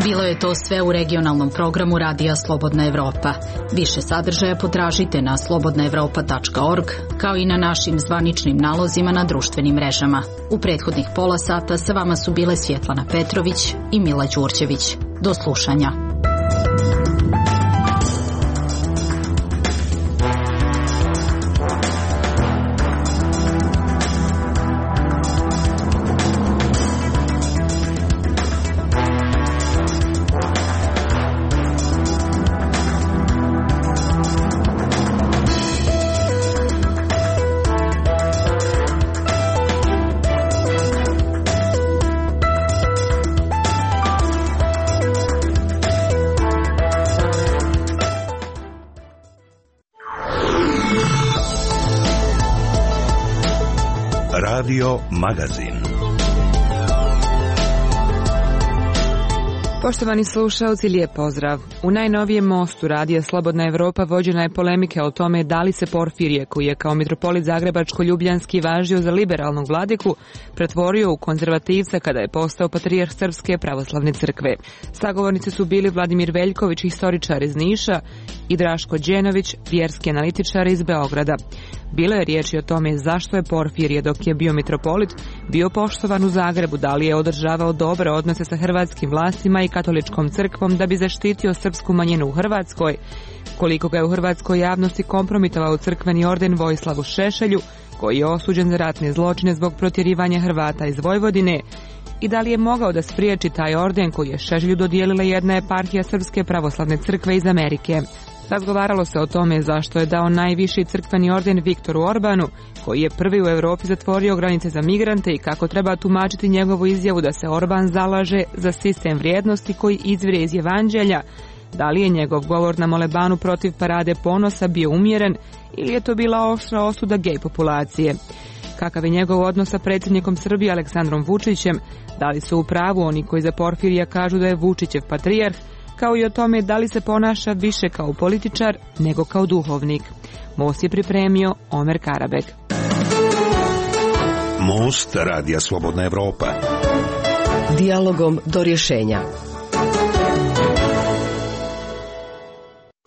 Bilo je to sve u regionalnom programu Radija Slobodna Evropa. Više sadržaja potražite na slobodna evropa tačka org, kao i na našim zvaničnim nalozima na društvenim mrežama. U prethodnih pola sata sa vama su bile Svjetlana Petrović i Mila Đurđević. Do slušanja.
Radio Magazin.
Poštovani slušaoci, lijep pozdrav. U najnovijem mostu radija Slobodna Evropa vođena je polemika o tome da li se Porfirije, koji je kao mitropolit Zagrebačko-Ljubljanski važio za liberalnog vladiku, pretvorio u konzervativca kada je postao patrijarh Srpske pravoslavne crkve. Sagovornici su bili Vladimir Veljković, historičar iz Niša, i Draško Đenović, vjerski analitičar iz Beograda. Bilo je riječi o tome zašto je Porfirije, dok je bio mitropolit, bio poštovan u Zagrebu, da li je održavao dobre odnose sa hrvatskim vlastima i katoličkom crkvom da bi zaštitio srpsku manjinu u Hrvatskoj, koliko ga je u hrvatskoj javnosti kompromitovao crkveni orden Vojislavu Šešelju, koji je osuđen za ratne zločine zbog protjerivanja Hrvata iz Vojvodine, i da li je mogao da spriječi taj orden koji je Šešelju dodijelila jedna eparhija Srpske pravoslavne crkve iz Amerike. Razgovaralo se o tome zašto je dao najviši crkveni orden Viktoru Orbanu, koji je prvi u Europi zatvorio granice za migrante, i kako treba tumačiti njegovu izjavu da se Orban zalaže za sistem vrijednosti koji izvire iz Evanđelja. Da li je njegov govor na molebanu protiv parade ponosa bio umjeren ili je to bila oštra osuda gej populacije? Kakav je njegov odnos sa predsjednikom Srbije Aleksandrom Vučićem? Da li su u pravu oni koji za Porfirija kažu da je Vučićev patrijarh? Kao i o tome da li se ponaša više kao političar nego kao duhovnik. Most je pripremio Omer Karabek.
Most radija Slobodna Evropa.
Dijalogom do rješenja.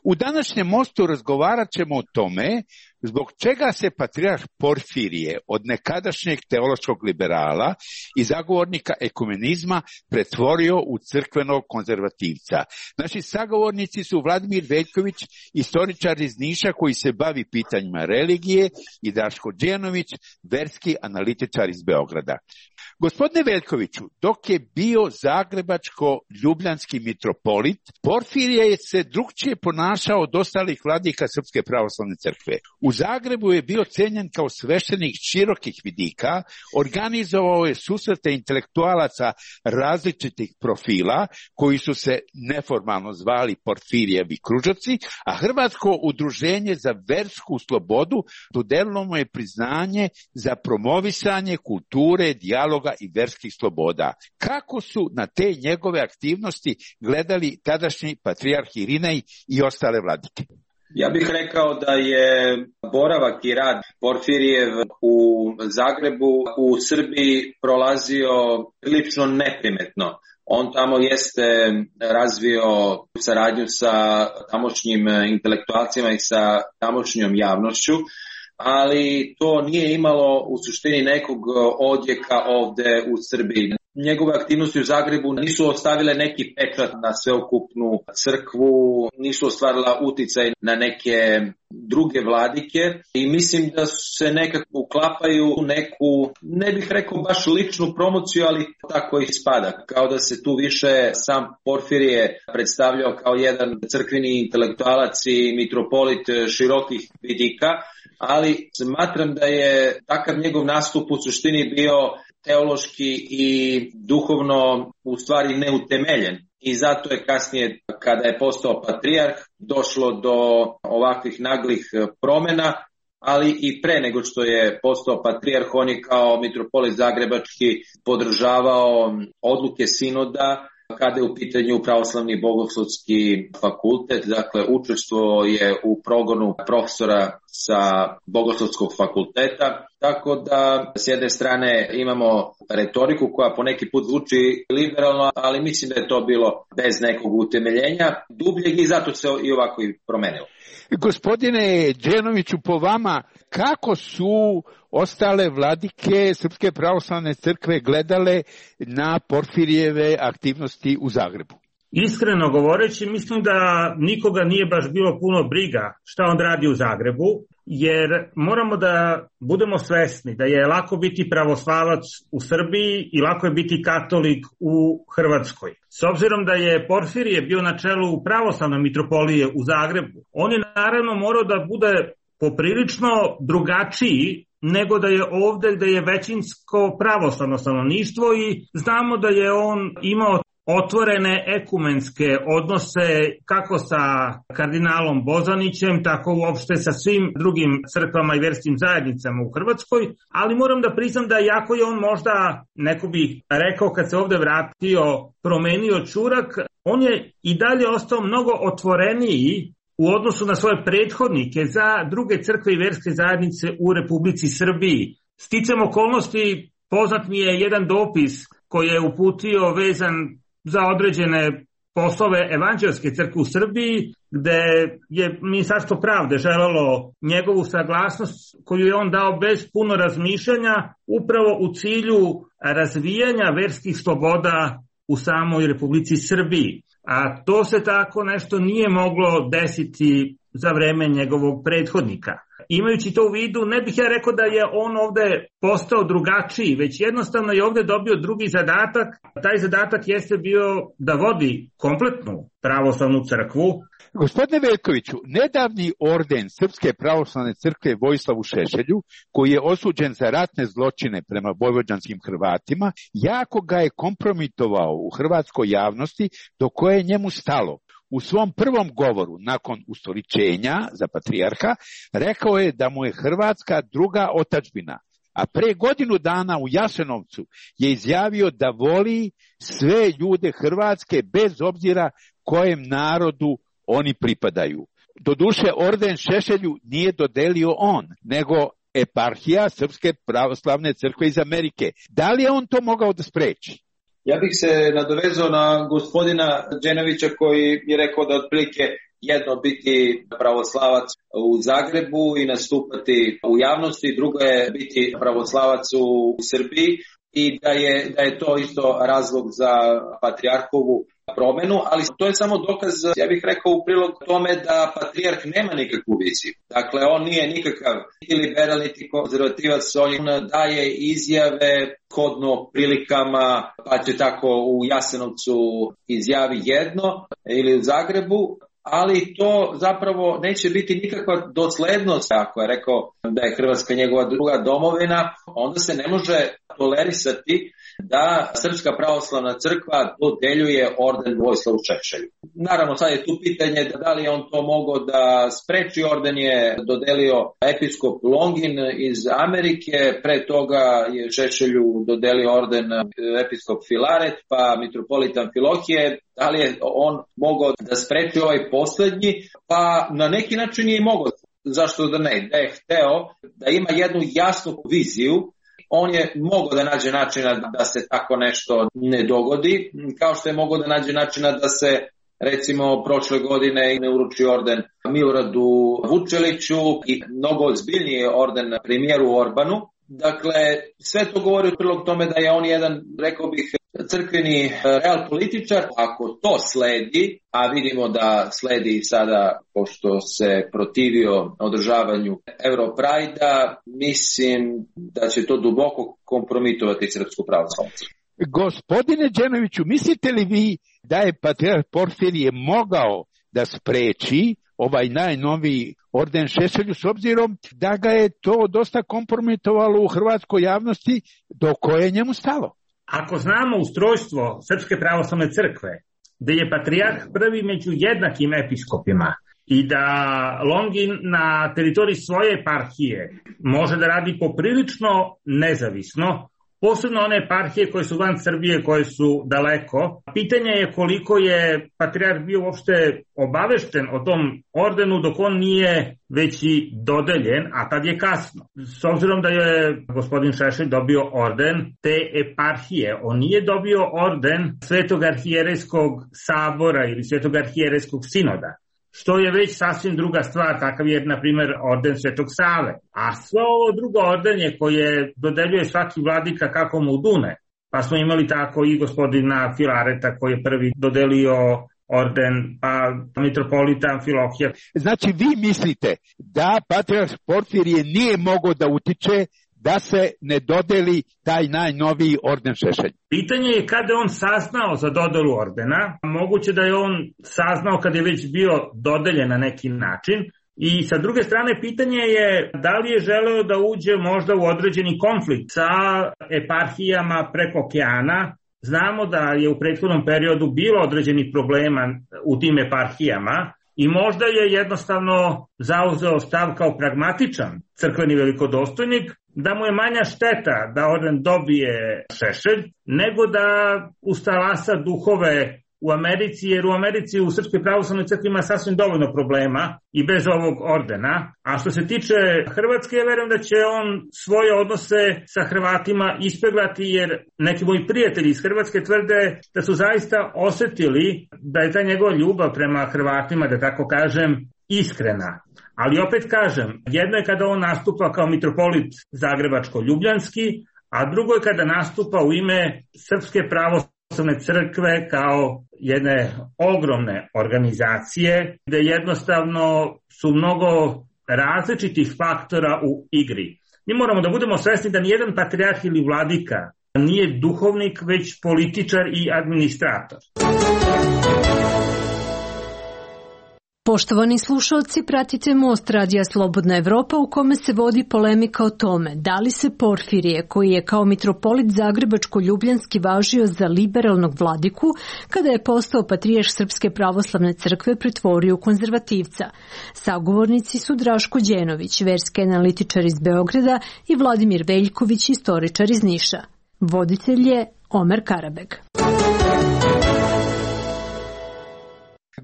U današnjem mostu razgovarat ćemo o tome zbog čega se patrijarh Porfirije od nekadašnjeg teološkog liberala i zagovornika ekumenizma pretvorio u crkvenog konzervativca. Naši sagovornici su Vladimir Veljković, historičar iz Niša koji se bavi pitanjima religije, i Draško Đenović, verski analitičar iz Beograda. Gospodine Veljkoviću, dok je bio zagrebačko-ljubljanski mitropolit, Porfirije je se drukčije ponašao od ostalih vladika Srpske pravoslavne crkve. U Zagrebu je bio cenjen kao sveštenik širokih vidika, organizovao je susrete intelektualaca različitih profila, koji su se neformalno zvali Porfirijevi kružaci, a Hrvatsko udruženje za versku slobodu dodelilo mu je priznanje za promovisanje kulture, dijaloga i verskih sloboda. Kako su na te njegove aktivnosti gledali tadašnji patrijarh Irinej i ostale vladike?
Ja bih rekao da je boravak i rad Porfirijev u Zagrebu, u Srbiji prolazio prilično neprimetno. On tamo jeste razvio saradnju sa tamošnjim intelektualcima i sa tamošnjom javnošću, ali to nije imalo u suštini nekog odjeka ovde u Srbiji. Njegove aktivnosti u Zagrebu nisu ostavile neki pečat na sveukupnu crkvu, nisu ostvarila uticaj na neke druge vladike i mislim da se nekako uklapaju u neku, ne bih rekao baš ličnu promociju, ali tako i spada. Kao da se tu više sam Porfirije predstavljao kao jedan crkveni intelektualac i mitropolit širokih vidika, ali smatram da je takav njegov nastup u suštini bio teološki i duhovno u stvari neutemeljen. I zato je kasnije, kada je postao patrijarh, došlo do ovakvih naglih promjena, ali i pre nego što je postao patrijarh, on je kao mitropolit zagrebački podržavao odluke sinoda kada je u pitanju pravoslavni bogoslovski fakultet, dakle učestvovao je u progonu profesora sa bogoslovskog fakulteta, tako da s jedne strane imamo retoriku koja poneki put zvuči liberalno, ali mislim da je to bilo bez nekog utemeljenja dubljeg i zato se i ovako i promenilo.
Gospodine Đenoviću, po vama, kako su ostale vladike Srpske pravoslavne crkve gledale na Porfirijeve aktivnosti u Zagrebu?
Iskreno govoreći, mislim da nikoga nije baš bilo puno briga šta on radi u Zagrebu, jer moramo da budemo svesni da je lako biti pravoslavac u Srbiji i lako je biti katolik u Hrvatskoj. S obzirom da je Porfirije bio na čelu pravoslavne mitropolije u Zagrebu, on je naravno morao da bude poprilično drugačiji nego da je ovde gde je većinsko pravoslavno stanovništvo i znamo da je on imao otvorene ekumenske odnose kako sa kardinalom Bozanićem, tako uopšte sa svim drugim crkvama i verskim zajednicama u Hrvatskoj, ali moram da priznam da jako je on možda, neko bi rekao kad se ovde vratio, promenio čurak, on je i dalje ostao mnogo otvoreniji u odnosu na svoje prethodnike za druge crkve i verske zajednice u Republici Srbiji. Sticam okolnosti, poznat mi je jedan dopis koji je uputio vezan za određene poslove Evanđelske crkve u Srbiji, gde je Ministarstvo pravde želelo njegovu saglasnost koju je on dao bez puno razmišljanja upravo u cilju razvijanja verskih sloboda u samoj Republici Srbiji. A to se tako nešto nije moglo desiti za vreme njegovog prethodnika. Imajući to u vidu, ne bih ja rekao da je on ovde postao drugačiji, već jednostavno je ovde dobio drugi zadatak. Taj zadatak jeste bio da vodi kompletnu pravoslavnu crkvu.
Gospodine Veljkoviću, nedavni orden Srpske pravoslavne crkve Vojislavu Šešelju, koji je osuđen za ratne zločine prema vojvođanskim Hrvatima, jako ga je kompromitovao u hrvatskoj javnosti do koje je njemu stalo. U svom prvom govoru, nakon ustoličenja za patrijarha, rekao je da mu je Hrvatska druga otadžbina, a pre godinu dana u Jasenovcu je izjavio da voli sve ljude Hrvatske bez obzira kojem narodu oni pripadaju. Doduše, orden Šešelju nije dodelio on, nego eparhija Srpske pravoslavne crkve iz Amerike. Da li je on to mogao da spreči?
Ja bih se nadovezao na gospodina Đenovića koji je rekao da otprilike jedno biti pravoslavac u Zagrebu i nastupati u javnosti, drugo je biti pravoslavac u Srbiji i da je, da je to isto razlog za patrijarhovu promenu, ali to je samo dokaz, ja bih rekao, u prilog tome da patrijarh nema nikakvu viziju. Dakle, on nije nikakav niti liberal, niti konzervativac, on daje izjave kodno prilikama, pa će tako u Jasenovcu izjavi jedno ili u Zagrebu, ali to zapravo neće biti nikakva doslednost. Ako je rekao da je Hrvatska njegova druga domovina, onda se ne može tolerisati da Srpska pravoslavna crkva dodeljuje orden Vojislavu Šešelju. Naravno, sad je tu pitanje da li je on to mogao da spreči. Orden je dodelio episkop Longin iz Amerike, pre toga je Šešelju dodelio orden episkop Filaret, pa mitropolita Amfilohije. Da li je on mogao da spreči ovaj poslednji? Pa na neki način je i mogao. Zašto da ne? Da je hteo da ima jednu jasnu viziju, on je mogao da nađe načina da se tako nešto ne dogodi, kao što je mogao da nađe načina da se recimo prošle godine ne uruči orden Miloradu Vučeliću i mnogo ozbiljniji orden premijeru Orbanu. Dakle, sve to govori u prilog tome da je on jedan, rekao bih, crkveni real političar. Ako to sledi, a vidimo da sledi sada, pošto se protivio održavanju Europrajda, mislim da će to duboko kompromitovati Srpsku pravoslavnu crkvu.
Gospodine Đenoviću, mislite li vi da je patrijarh Porfirije mogao da spreči ovaj najnoviji orden Šešelju, s obzirom da ga je to dosta kompromitovalo u hrvatskoj javnosti do koje je njemu stalo?
Ako znamo ustrojstvo Srpske pravoslavne crkve, da je patrijarh prvi među jednakim episkopima i da Longin na teritoriji svoje eparhije može da radi poprilično nezavisno, posebno one eparhije koje su van Srbije, koje su daleko. Pitanje je koliko je patrijarh bio uopšte obavešten o tom ordenu dok on nije već i dodeljen, a tad je kasno. S obzirom da je gospodin Šešelj dobio orden te eparhije, on nije dobio orden Svetog arhijerejskog sabora ili Svetog arhijerejskog sinoda, što je već sasvim druga stvar, takav je, na primjer, orden Svetog Save. A sve ovo drugo ordenje koje dodeljuje svaki vladika kako mu dune, pa smo imali tako i gospodina Filareta koji je prvi dodelio orden, pa mitropolita Amfilohija.
Znači, vi mislite da patrijarh Porfirije nije mogao da utiče da se ne dodeli taj najnoviji orden Šešelj?
Pitanje je kada je on saznao za dodelu ordena. Moguće da je on saznao kad je već bio dodeljen na neki način. I sa druge strane, pitanje je da li je želeo da uđe možda u određeni konflikt sa eparhijama preko okeana, znamo da je u prethodnom periodu bilo određenih problema u tim eparhijama i možda je jednostavno zauzeo stav kao pragmatičan crkveni velikodostojnik, da mu je manja šteta da orden dobije šešelj, nego da ustalasa duhove u Americi, jer u Americi u Srpskoj pravoslavnoj crkvi ima sasvim dovoljno problema i bez ovog ordena. A što se tiče Hrvatske, ja verujem da će on svoje odnose sa Hrvatima ispeglati, jer neki moji prijatelji iz Hrvatske tvrde da su zaista osetili da je ta njegova ljubav prema Hrvatima, da tako kažem, iskrena. Ali opet kažem, jedno je kada on nastupa kao mitropolit Zagrebačko-Ljubljanski, a drugo je kada nastupa u ime Srpske pravoslavne crkve kao jedne ogromne organizacije, gde jednostavno su mnogo različitih faktora u igri. Mi moramo da budemo svesni da nijedan patrijarh ili vladika nije duhovnik, već političar i administrator.
Poštovani slušalci, pratite Most Radija Slobodna Evropa u kome se vodi polemika o tome da li se Porfirije, koji je kao mitropolit Zagrebačko-Ljubljanski važio za liberalnog vladiku, kada je postao patrijarh Srpske pravoslavne crkve, pretvorio u konzervativca. Sagovornici su Draško Đenović, verski analitičar iz Beograda, i Vladimir Veljković, istoričar iz Niša. Voditelj je Omer Karabeg.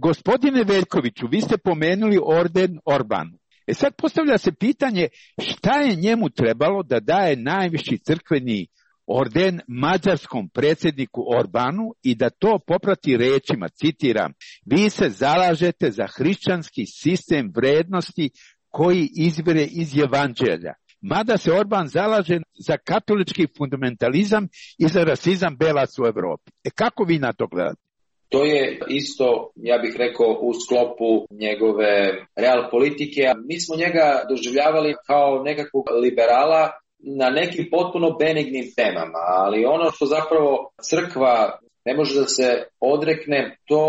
Gospodine Veljkoviću, vi ste pomenuli orden Orbanu. E sad postavlja se pitanje šta je njemu trebalo da daje najviši crkveni orden mađarskom predsjedniku Orbanu i da to poprati rečima, citiram, vi se zalažete za hrišćanski sistem vrednosti koji izvire iz evanđelja. Mada se Orban zalaže za katolički fundamentalizam i za rasizam belaca u Evropi. E kako vi na to gledate?
To je isto, ja bih rekao, u sklopu njegove real politike. Mi smo njega doživljavali kao nekakvog liberala na nekim potpuno benignim temama, ali ono što zapravo crkva ne može da se odrekne, to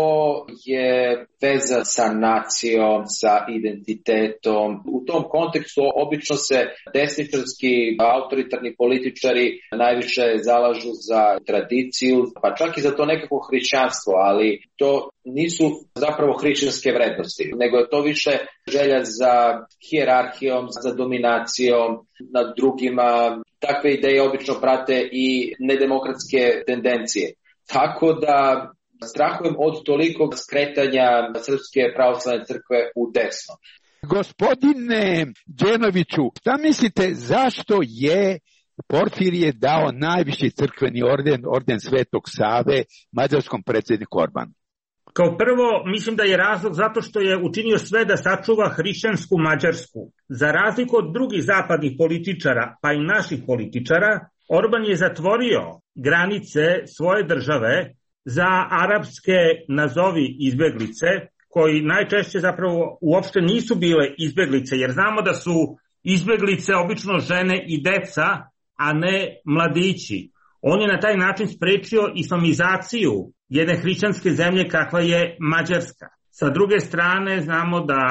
je veza sa nacijom, sa identitetom. U tom kontekstu obično se desničarski autoritarni političari najviše zalažu za tradiciju, pa čak i za to nekako hrišćanstvo, ali to nisu zapravo hrišćanske vrednosti, nego je to više želja za hijerarhijom, za dominacijom nad drugima. Takve ideje obično prate i nedemokratske tendencije. Tako da strahujem od tolikog skretanja Srpske pravoslavne crkve u desno.
Gospodine Đenoviću, šta mislite zašto je Porfirije dao najviši crkveni orden, orden Svetog Save, mađarskom predsjedniku Orbanu?
Kao prvo, mislim da je razlog zato što je učinio sve da sačuva hrišćansku Mađarsku. Za razliku od drugih zapadnih političara, pa i naših političara, Orban je zatvorio granice svoje države za arapske, nazovi, izbeglice, koji najčešće zapravo uopšte nisu bile izbeglice, jer znamo da su izbeglice obično žene i deca, a ne mladići. On je na taj način sprečio islamizaciju jedne hrišćanske zemlje kakva je Mađarska. Sa druge strane, znamo da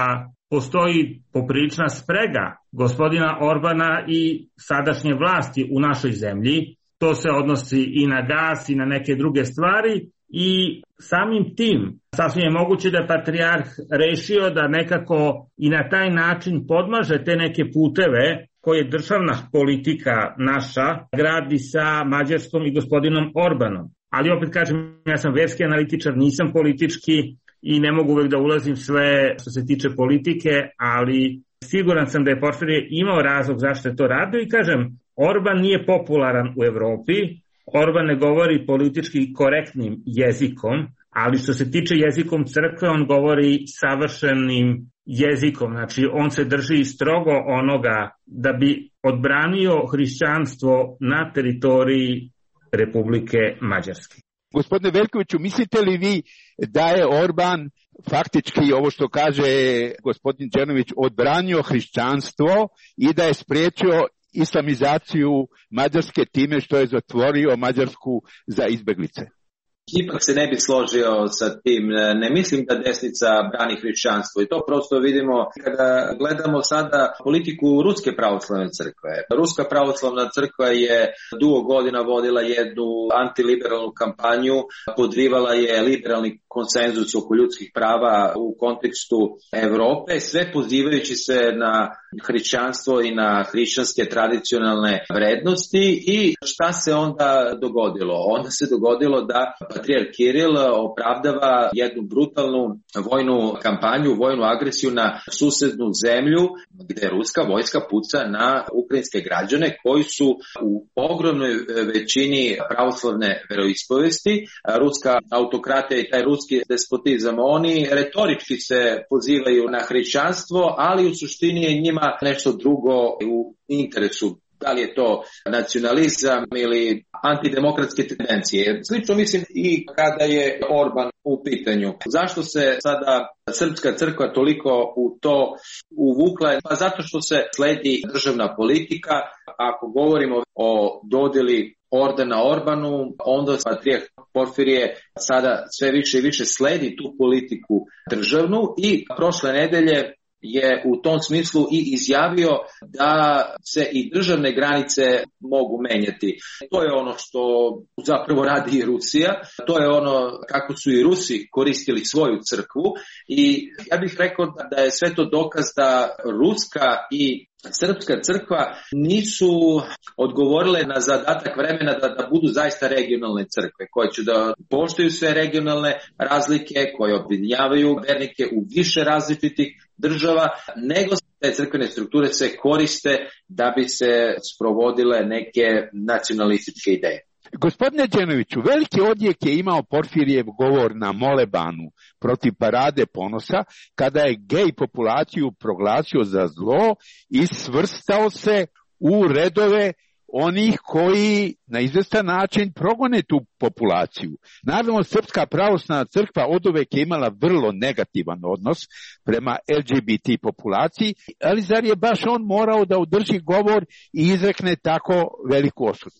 postoji poprilična sprega gospodina Orbana i sadašnje vlasti u našoj zemlji. To se odnosi i na gas i na neke druge stvari i samim tim sasvim je moguće da je patrijarh rešio da nekako i na taj način podmaže te neke puteve koje državna politika naša gradi sa Mađarskom i gospodinom Orbanom. Ali opet kažem, ja sam verski analitičar, nisam politički i ne mogu uvek da ulazim sve što se tiče politike, ali siguran sam da je Porfirije imao razlog zašto je to radio i kažem, Orban nije popularan u Evropi, Orban ne govori politički korektnim jezikom, ali što se tiče jezikom crkve, on govori savršenim jezikom, znači on se drži strogo onoga da bi odbranio hrišćanstvo na teritoriji Republike Mađarske.
Gospodine Veljkoviću, mislite li vi da je Orban faktički, ovo što kaže gospodin Đenović, odbranio hrišćanstvo i da je spriječio islamizaciju Mađarske time što je zatvorio Mađarsku za izbeglice?
ipak se ne bi složio sa tim. Ne mislim da desnica brani hrišćanstvo i to prosto vidimo kada gledamo sada politiku Ruske pravoslavne crkve. Ruska pravoslavna crkva je dugo godina vodila jednu antiliberalnu kampanju, podrivala je liberalni konsenzus oko ljudskih prava u kontekstu Evrope, sve pozivajući se na hrišćanstvo i na hrišćanske tradicionalne vrednosti. I šta se onda dogodilo? Onda se dogodilo da patrijarh Kiril opravdava jednu brutalnu vojnu kampanju, vojnu agresiju na susednu zemlju gde ruska vojska puca na ukrajinske građane koji su u ogromnoj većini pravoslavne veroispovesti. Ruska autokratija i taj ruski despotizam, oni retorički se pozivaju na hrišćanstvo, ali u suštini je njima nešto drugo u interesu. Da li je to nacionalizam ili antidemokratske tendencije. Slično mislim i kada je Orban u pitanju. Zašto se sada srpska crkva toliko u to uvukla? Pa zato što se sledi državna politika. Ako govorimo o dodjeli ordena Orbanu, onda patrijarh Porfirije sada sve više i više sledi tu politiku državnu i prošle nedelje je u tom smislu i izjavio da se i državne granice mogu menjati. To je ono što zapravo radi i Rusija, to je ono kako su i Rusi koristili svoju crkvu i ja bih rekao da je sve to dokaz da ruska i srpska crkva nisu odgovorile na zadatak vremena da, da budu zaista regionalne crkve, koje će da poštuju sve regionalne razlike, koje objedinjavaju vernike u više različitih država, nego te crkvene strukture se koriste da bi se sprovodile neke nacionalističke ideje.
Gospodine Đenoviću, veliki odjek je imao Porfirijev govor na Molebanu protiv Parade ponosa, kada je gej populaciju proglasio za zlo i svrstao se u redove onih koji na izvestan način progone tu populaciju. Naravno, Srpska pravoslavna crkva oduvek je imala vrlo negativan odnos prema L G B T populaciji, ali zar je baš on morao da održi govor i izrekne tako veliku osudu?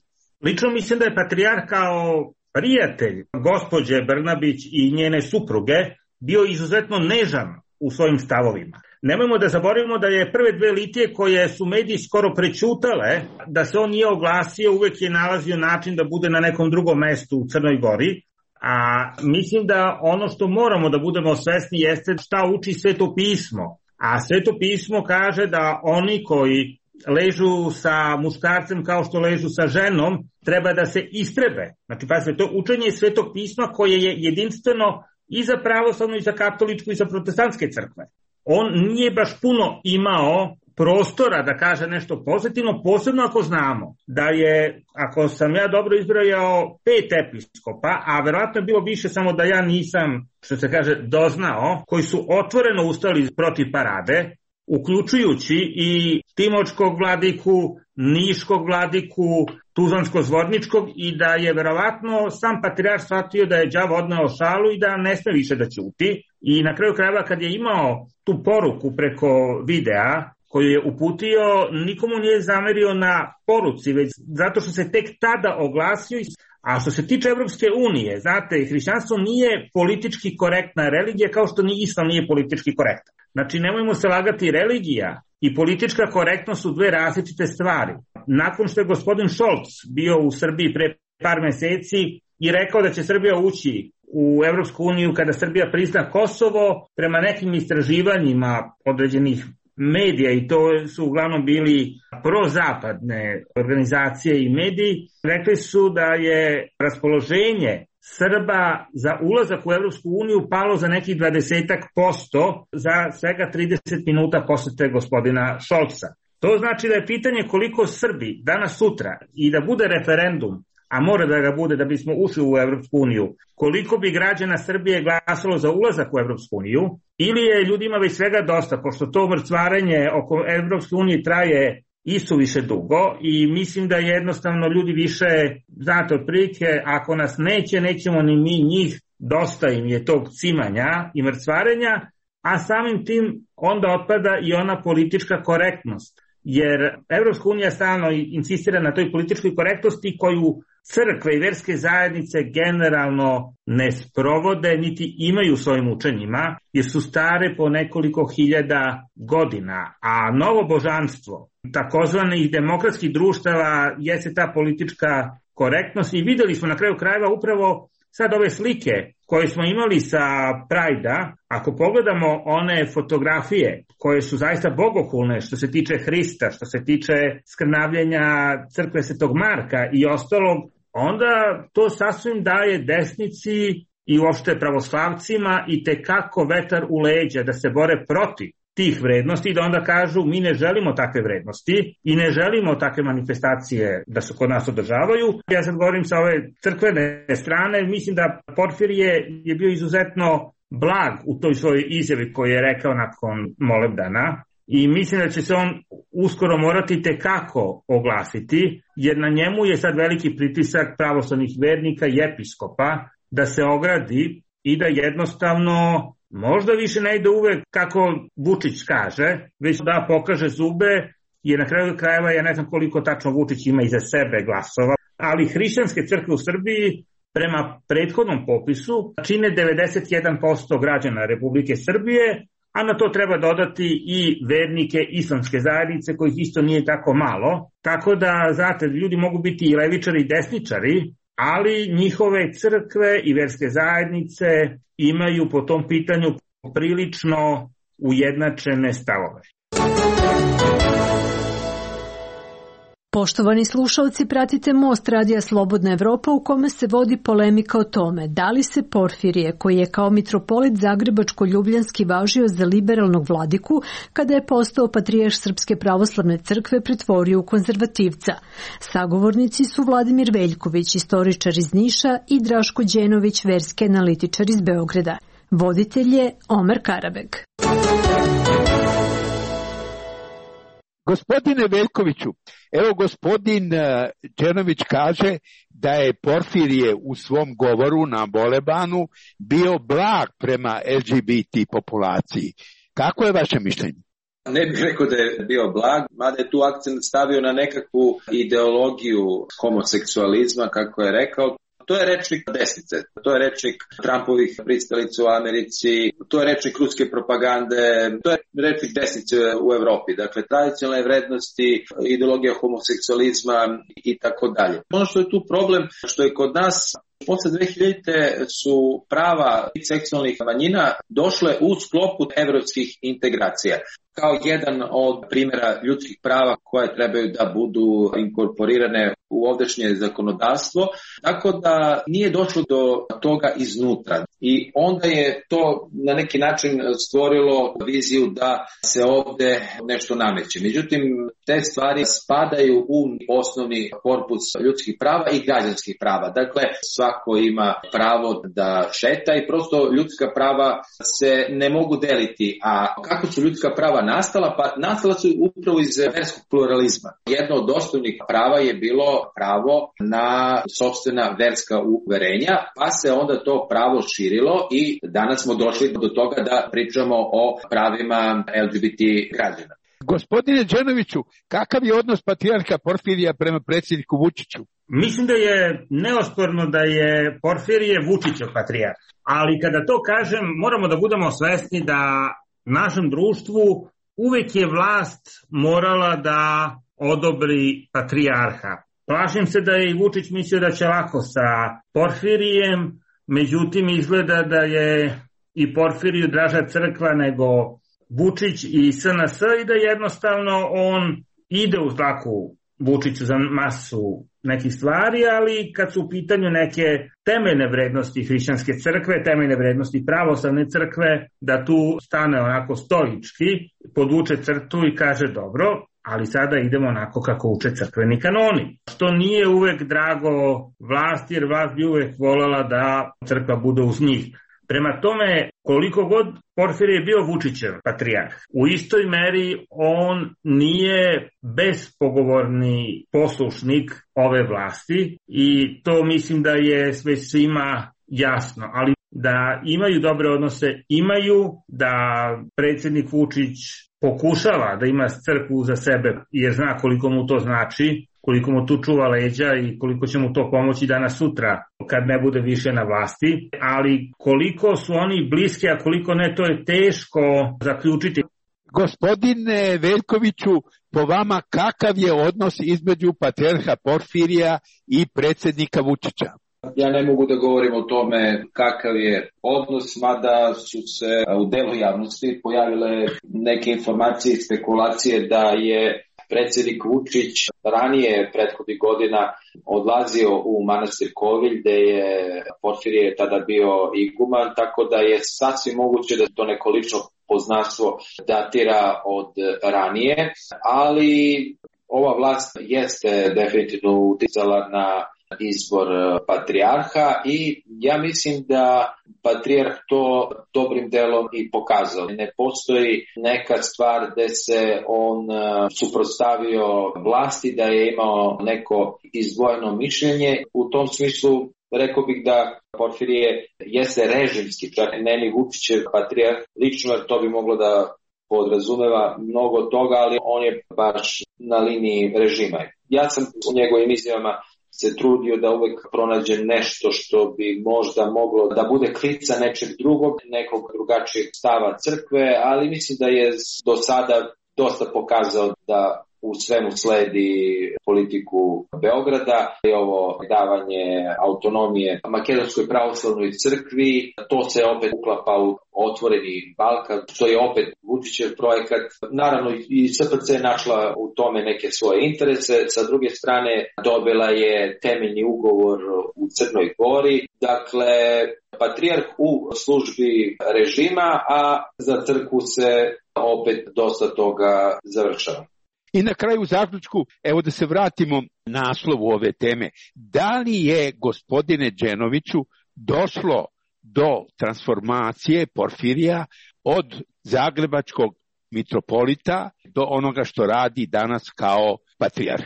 Lično mislim da je patrijarh kao prijatelj gospođe Brnabić i njene supruge bio izuzetno nežan u svojim stavovima. Nemojmo da zaboravimo da je prve dve litije koje su mediji skoro prećutale, da se on nije oglasio, uvek je nalazio način da bude na nekom drugom mestu u Crnoj Gori. A mislim da ono što moramo da budemo svesni jeste šta uči Sveto pismo. A Sveto pismo kaže da oni koji ležu sa muškarcem kao što ležu sa ženom, treba da se istrebe. Znači, pazite, to učenje Svetog pisma koje je jedinstveno i za pravoslavnu, i za katoličku, i za protestantske crkve. On nije baš puno imao prostora da kaže nešto pozitivno, posebno ako znamo da je, ako sam ja dobro izbrojao, pet episkopa, a verovatno je bilo više, samo da ja nisam, što se kaže, doznao, koji su otvoreno ustali protiv Parade, uključujući i Timočkog vladiku, Niškog vladiku, Tuzlansko-Zvorničkog, i da je verovatno sam patrijarh shvatio da je đavo odneo šalu i da ne sme više da ćuti. I na kraju krajeva, kad je imao tu poruku preko videa koju je uputio, nikomu nije zamerio na poruci, već zato što se tek tada oglasio. A što se tiče Evropske unije, znate, hrišćanstvo nije politički korektna religija, kao što ni islam nije politički korektan. Znači, nemojmo se lagati, religija i politička korektnost su dve različite stvari. Nakon što je gospodin Šolc bio u Srbiji pre par meseci i rekao da će Srbija ući u Evropsku uniju kada Srbija prizna Kosovo, prema nekim istraživanjima određenih medija, i to su uglavnom bili prozapadne organizacije i mediji, rekli su da je raspoloženje Srba za ulazak u Evropsku uniju palo za nekih dvadesetak posto za svega trideset minuta posete gospodina Šolca. To znači da je pitanje koliko Srbi danas sutra, i da bude referendum, a mora da ga bude da bismo ušli u Evropsku uniju, koliko bi građana Srbije glasalo za ulazak u Evropsku uniju, ili je ljudima već svega dosta, pošto to mrcvarenje oko Evropske unije traje isuviše dugo, i mislim da jednostavno ljudi više, znate, otprilike, ako nas neće, nećemo ni mi njih, dosta im je tog cimanja i mrcvarenja, a samim tim onda otpada i ona politička korektnost. Jer Evropska unija stalno insistira na toj političkoj korektnosti koju crkve i verske zajednice generalno ne sprovode niti imaju u svojim učenjima, jer su stare po nekoliko hiljada godina, a novo božanstvo takozvanih demokratskih društava jeste ta politička korektnost i videli smo na kraju krajeva upravo sad ove slike koje smo imali sa Prajda, ako pogledamo one fotografije koje su zaista bogohulne što se tiče Hrista, što se tiče skrnavljenja crkve Svetog Marka i ostalog, onda to sasvim daje desnici i uopšte pravoslavcima i tekako vetar u leđa da se bore protiv tih vrednosti i da onda kažu mi ne želimo takve vrednosti i ne želimo takve manifestacije da se kod nas održavaju. Ja sad govorim sa ove crkvene strane, mislim da Porfirije je bio izuzetno blag u toj svojoj izjavi koju je rekao nakon molebdana i mislim da će se on uskoro morati tekako oglasiti, jer na njemu je sad veliki pritisak pravoslavnih vernika i episkopa da se ogradi i da jednostavno možda više ne ide uvek kako Vučić kaže, već da pokaže zube, jer na kraju krajeva ja ne znam koliko tačno Vučić ima iza sebe glasova, ali hrišćanske crkve u Srbiji prema prethodnom popisu čine devedeset jedan posto građana Republike Srbije, a na to treba dodati i vernike islamske zajednice kojih isto nije tako malo, tako da, znate, ljudi mogu biti i levičari i desničari, ali njihove crkve i verske zajednice imaju po tom pitanju prilično ujednačene stavove.
Poštovani slušalci, pratite Most Radija Slobodna Evropa u kome se vodi polemika o tome da li se Porfirije, koji je kao mitropolit Zagrebačko-Ljubljanski važio za liberalnog vladiku, kada je postao patrijarh Srpske pravoslavne crkve, pretvorio u konzervativca. Sagovornici su Vladimir Veljković, istoričar iz Niša, i Draško Đenović, verski analitičar iz Beograda. Voditelj je Omer Karabeg.
Gospodine Veljkoviću, evo gospodin Đenović kaže da je Porfirije u svom govoru na Bolebanu bio blag prema L G B T populaciji. Kako je vaše mišljenje?
Ne bih rekao da je bio blag, mada je tu akcent stavio na nekakvu ideologiju homoseksualizma, kako je rekao. To je rečnik desnice, to je rečnik Trumpovih pristalica u Americi, to je rečnik ruske propagande, to je rečnik desnice u Evropi. Dakle, tradicionalne vrednosti, ideologija homoseksualizma i tako dalje. Ono što je tu problem, što je kod nas posle dve hiljadite su prava seksualnih manjina došle u sklopu evropskih integracija kao jedan od primjera ljudskih prava koje trebaju da budu inkorporirane u ovdašnje zakonodavstvo, tako da nije došlo do toga iznutra. I onda je to na neki način stvorilo viziju da se ovde nešto nameće. Međutim, te stvari spadaju u osnovni korpus ljudskih prava i građanskih prava. Dakle, svako ima pravo da šeta i prosto ljudska prava se ne mogu deliti. A kako su ljudska prava nastala? Pa nastala su upravo iz verskog pluralizma. Jedno od osnovnih prava je bilo pravo na sopstvena verska uverenja, pa se onda to pravo širilo i danas smo došli do toga da pričamo o pravima L G B T građana.
Gospodine Đenoviću, kakav je odnos patrijarha Porfirija prema predsjedniku Vučiću?
Mislim da je neosporno da je Porfirije Vučićev patrijarh, ali kada to kažem moramo da budemo svesni da našem društvu uvek je vlast morala da odobri patrijarha. Plašim se da je i Vučić mislio da će lako sa Porfirijem, međutim izgleda da je i Porfiriju draža crkva nego Vučić i S N S i da jednostavno on ide u znaku Vučiću za masu nekih stvari, ali kad su u pitanju neke temeljne vrednosti hrišćanske crkve, temeljne vrednosti pravoslavne crkve, da tu stane onako stoički, podvuče crtu i kaže dobro, ali sada idemo onako kako uče crkveni kanoni. Što nije uvek drago vlasti, jer vlast bi uvek voljela da crkva bude uz njih. Prema tome, koliko god Porfirije je bio Vučićev patrijarh, u istoj meri on nije bespogovorni poslušnik ove vlasti i to mislim da je sve svima jasno. Ali da imaju dobre odnose, imaju, da predsjednik Vučić pokušava da ima crkvu za sebe jer zna koliko mu to znači, koliko mu tu čuva leđa i koliko će mu to pomoći danas sutra kad ne bude više na vlasti, ali koliko su oni bliski, a koliko ne, to je teško zaključiti.
Gospodine Veljkoviću, po vama kakav je odnos između patrijarha Porfirija i predsjednika Vučića?
Ja ne mogu da govorim o tome kakav je odnos, mada su se u delu javnosti pojavile neke informacije i spekulacije da je predsjednik Vučić ranije prethodnih godina odlazio u manastir Kovilj, gde je Porfirije tada bio iguman, tako da je sasvim moguće da to neko lično poznanstvo datira od ranije, ali ova vlast jeste definitivno uticala na izbor patrijarha i ja mislim da patrijarh to dobrim delom i pokazao. Ne postoji neka stvar gde se on suprotstavio vlasti, da je imao neko izdvojeno mišljenje. U tom smislu rekao bih da Porfirije jeste režimski, čak ne ni Vučićev patrijarh lično, jer to bi moglo da podrazumeva mnogo toga, ali on je baš na liniji režima. Ja sam u njegovim izjavama se trudio da uvek pronađem nešto što bi možda moglo da bude klica nečeg drugog, nekog drugačijeg stava crkve, ali mislim da je do sada dosta pokazao da u svemu sledi politiku Beograda i ovo davanje autonomije Makedonskoj pravoslavnoj crkvi. To se opet uklapa u otvoreni Balkan, što je opet Vučićev projekat. Naravno i S P C je našla u tome neke svoje interese. Sa druge strane dobila je temeljni ugovor u Crnoj Gori. Dakle, patrijarh u službi režima, a za crkvu se opet dosta toga završava.
I na kraju zaključku, evo da se vratimo naslovu ove teme. Da li je, gospodine Đenoviću, došlo do transformacije Porfirija od zagrebačkog mitropolita do onoga što radi danas kao patrijarh?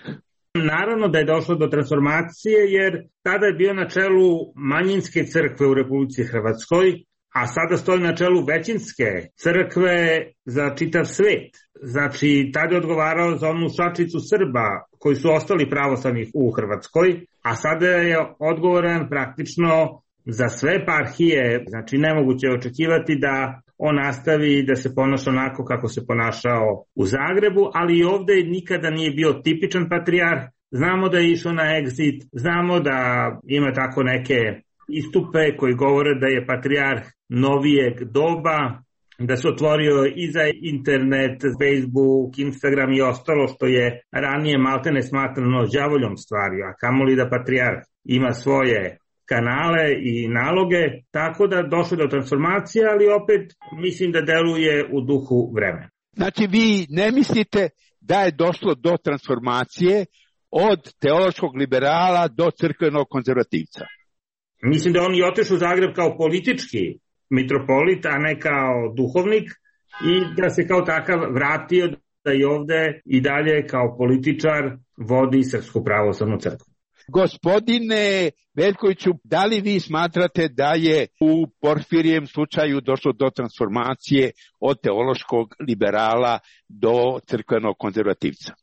Naravno da je došlo do transformacije, jer tada je bio na čelu manjinske crkve u Republici Hrvatskoj, a sada stoji na čelu većinske crkve za čitav svet. Znači, tada je odgovarao za onu šačicu Srba koji su ostali pravoslavni u Hrvatskoj, a sada je odgovoran praktično za sve eparhije. Znači, nemoguće je očekivati da on nastavi da se ponaša onako kako se ponašao u Zagrebu, ali i ovde nikada nije bio tipičan patrijarh. Znamo da je išao na exit, znamo da ima tako neke istupe koji govore da je patrijarh novijeg doba, da se otvorio i za internet, Facebook, Instagram i ostalo što je ranije maltene smatrano đavoljom stvari, a kamoli da patrijarh ima svoje kanale i naloge, tako da došlo do transformacije, ali opet mislim da deluje u duhu vremena.
Znači vi ne mislite da je došlo do transformacije od teološkog liberala do crkvenog konzervativca?
Mislim da on i otišao u Zagreb kao politički mitropolit, a ne kao duhovnik, i da se kao takav vratio da i ovde i dalje kao političar vodi Srpsku pravoslavnu crkvu.
Gospodine Veljkoviću, da li vi smatrate da je u Porfirijem slučaju došlo do transformacije od teološkog liberala do crkvenog konzervativca?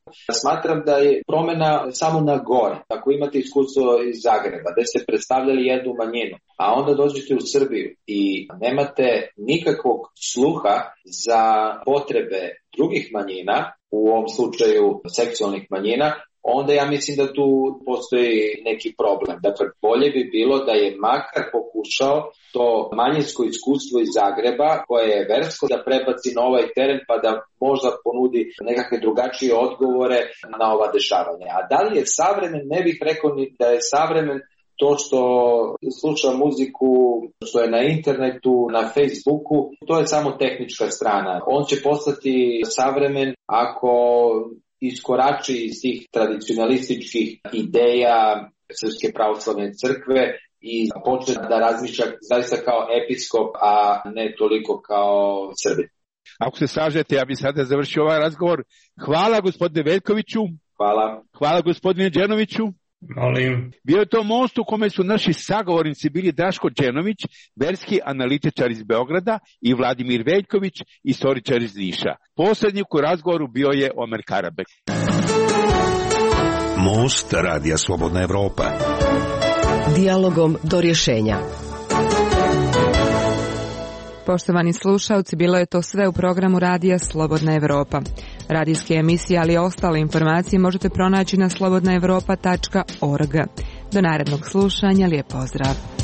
Smatram da je promena samo na gore. Ako imate iskustvo iz Zagreba, gde ste predstavljali jednu manjinu, a onda dođete u Srbiju i nemate nikakvog sluha za potrebe drugih manjina, u ovom slučaju seksualnih manjina, onda ja mislim da tu postoji neki problem. Dakle, bolje bi bilo da je makar pokušao to manjinsko iskustvo iz Zagreba, koje je versko, da prebaci na ovaj teren pa da možda ponudi nekakve drugačije odgovore na ova dešavanja. A da li je savremen, ne bih rekao ni da je savremen to što sluša muziku, što je na internetu, na Facebooku, to je samo tehnička strana. On će postati savremen ako iskorači iz tih tradicionalističkih ideja Srpske pravoslavne crkve i počne da razmišlja zaista kao episkop, a ne toliko kao Srbin.
Ako se slažete, ja bih sada završio ovaj razgovor. Hvala gospodine Veljkoviću.
Hvala.
Hvala gospodine Đenoviću.
Molim.
Bio je to most u kome su naši sagovornici bili Daško Đenović, verski analitičar iz Beograda, i Vladimir Veljković, istoričar iz Niša. Poslednjik u razgovoru bio je Omer Karabek.
Most Radija Slobodna Evropa.
Dijalogom do rješenja.
Poštovani slušalci, bilo je to sve u programu Radija Slobodna Evropa. Radijske emisije, ali i ostale informacije možete pronaći na slobodna evropa tačka org. Do narednog slušanja, lijep pozdrav.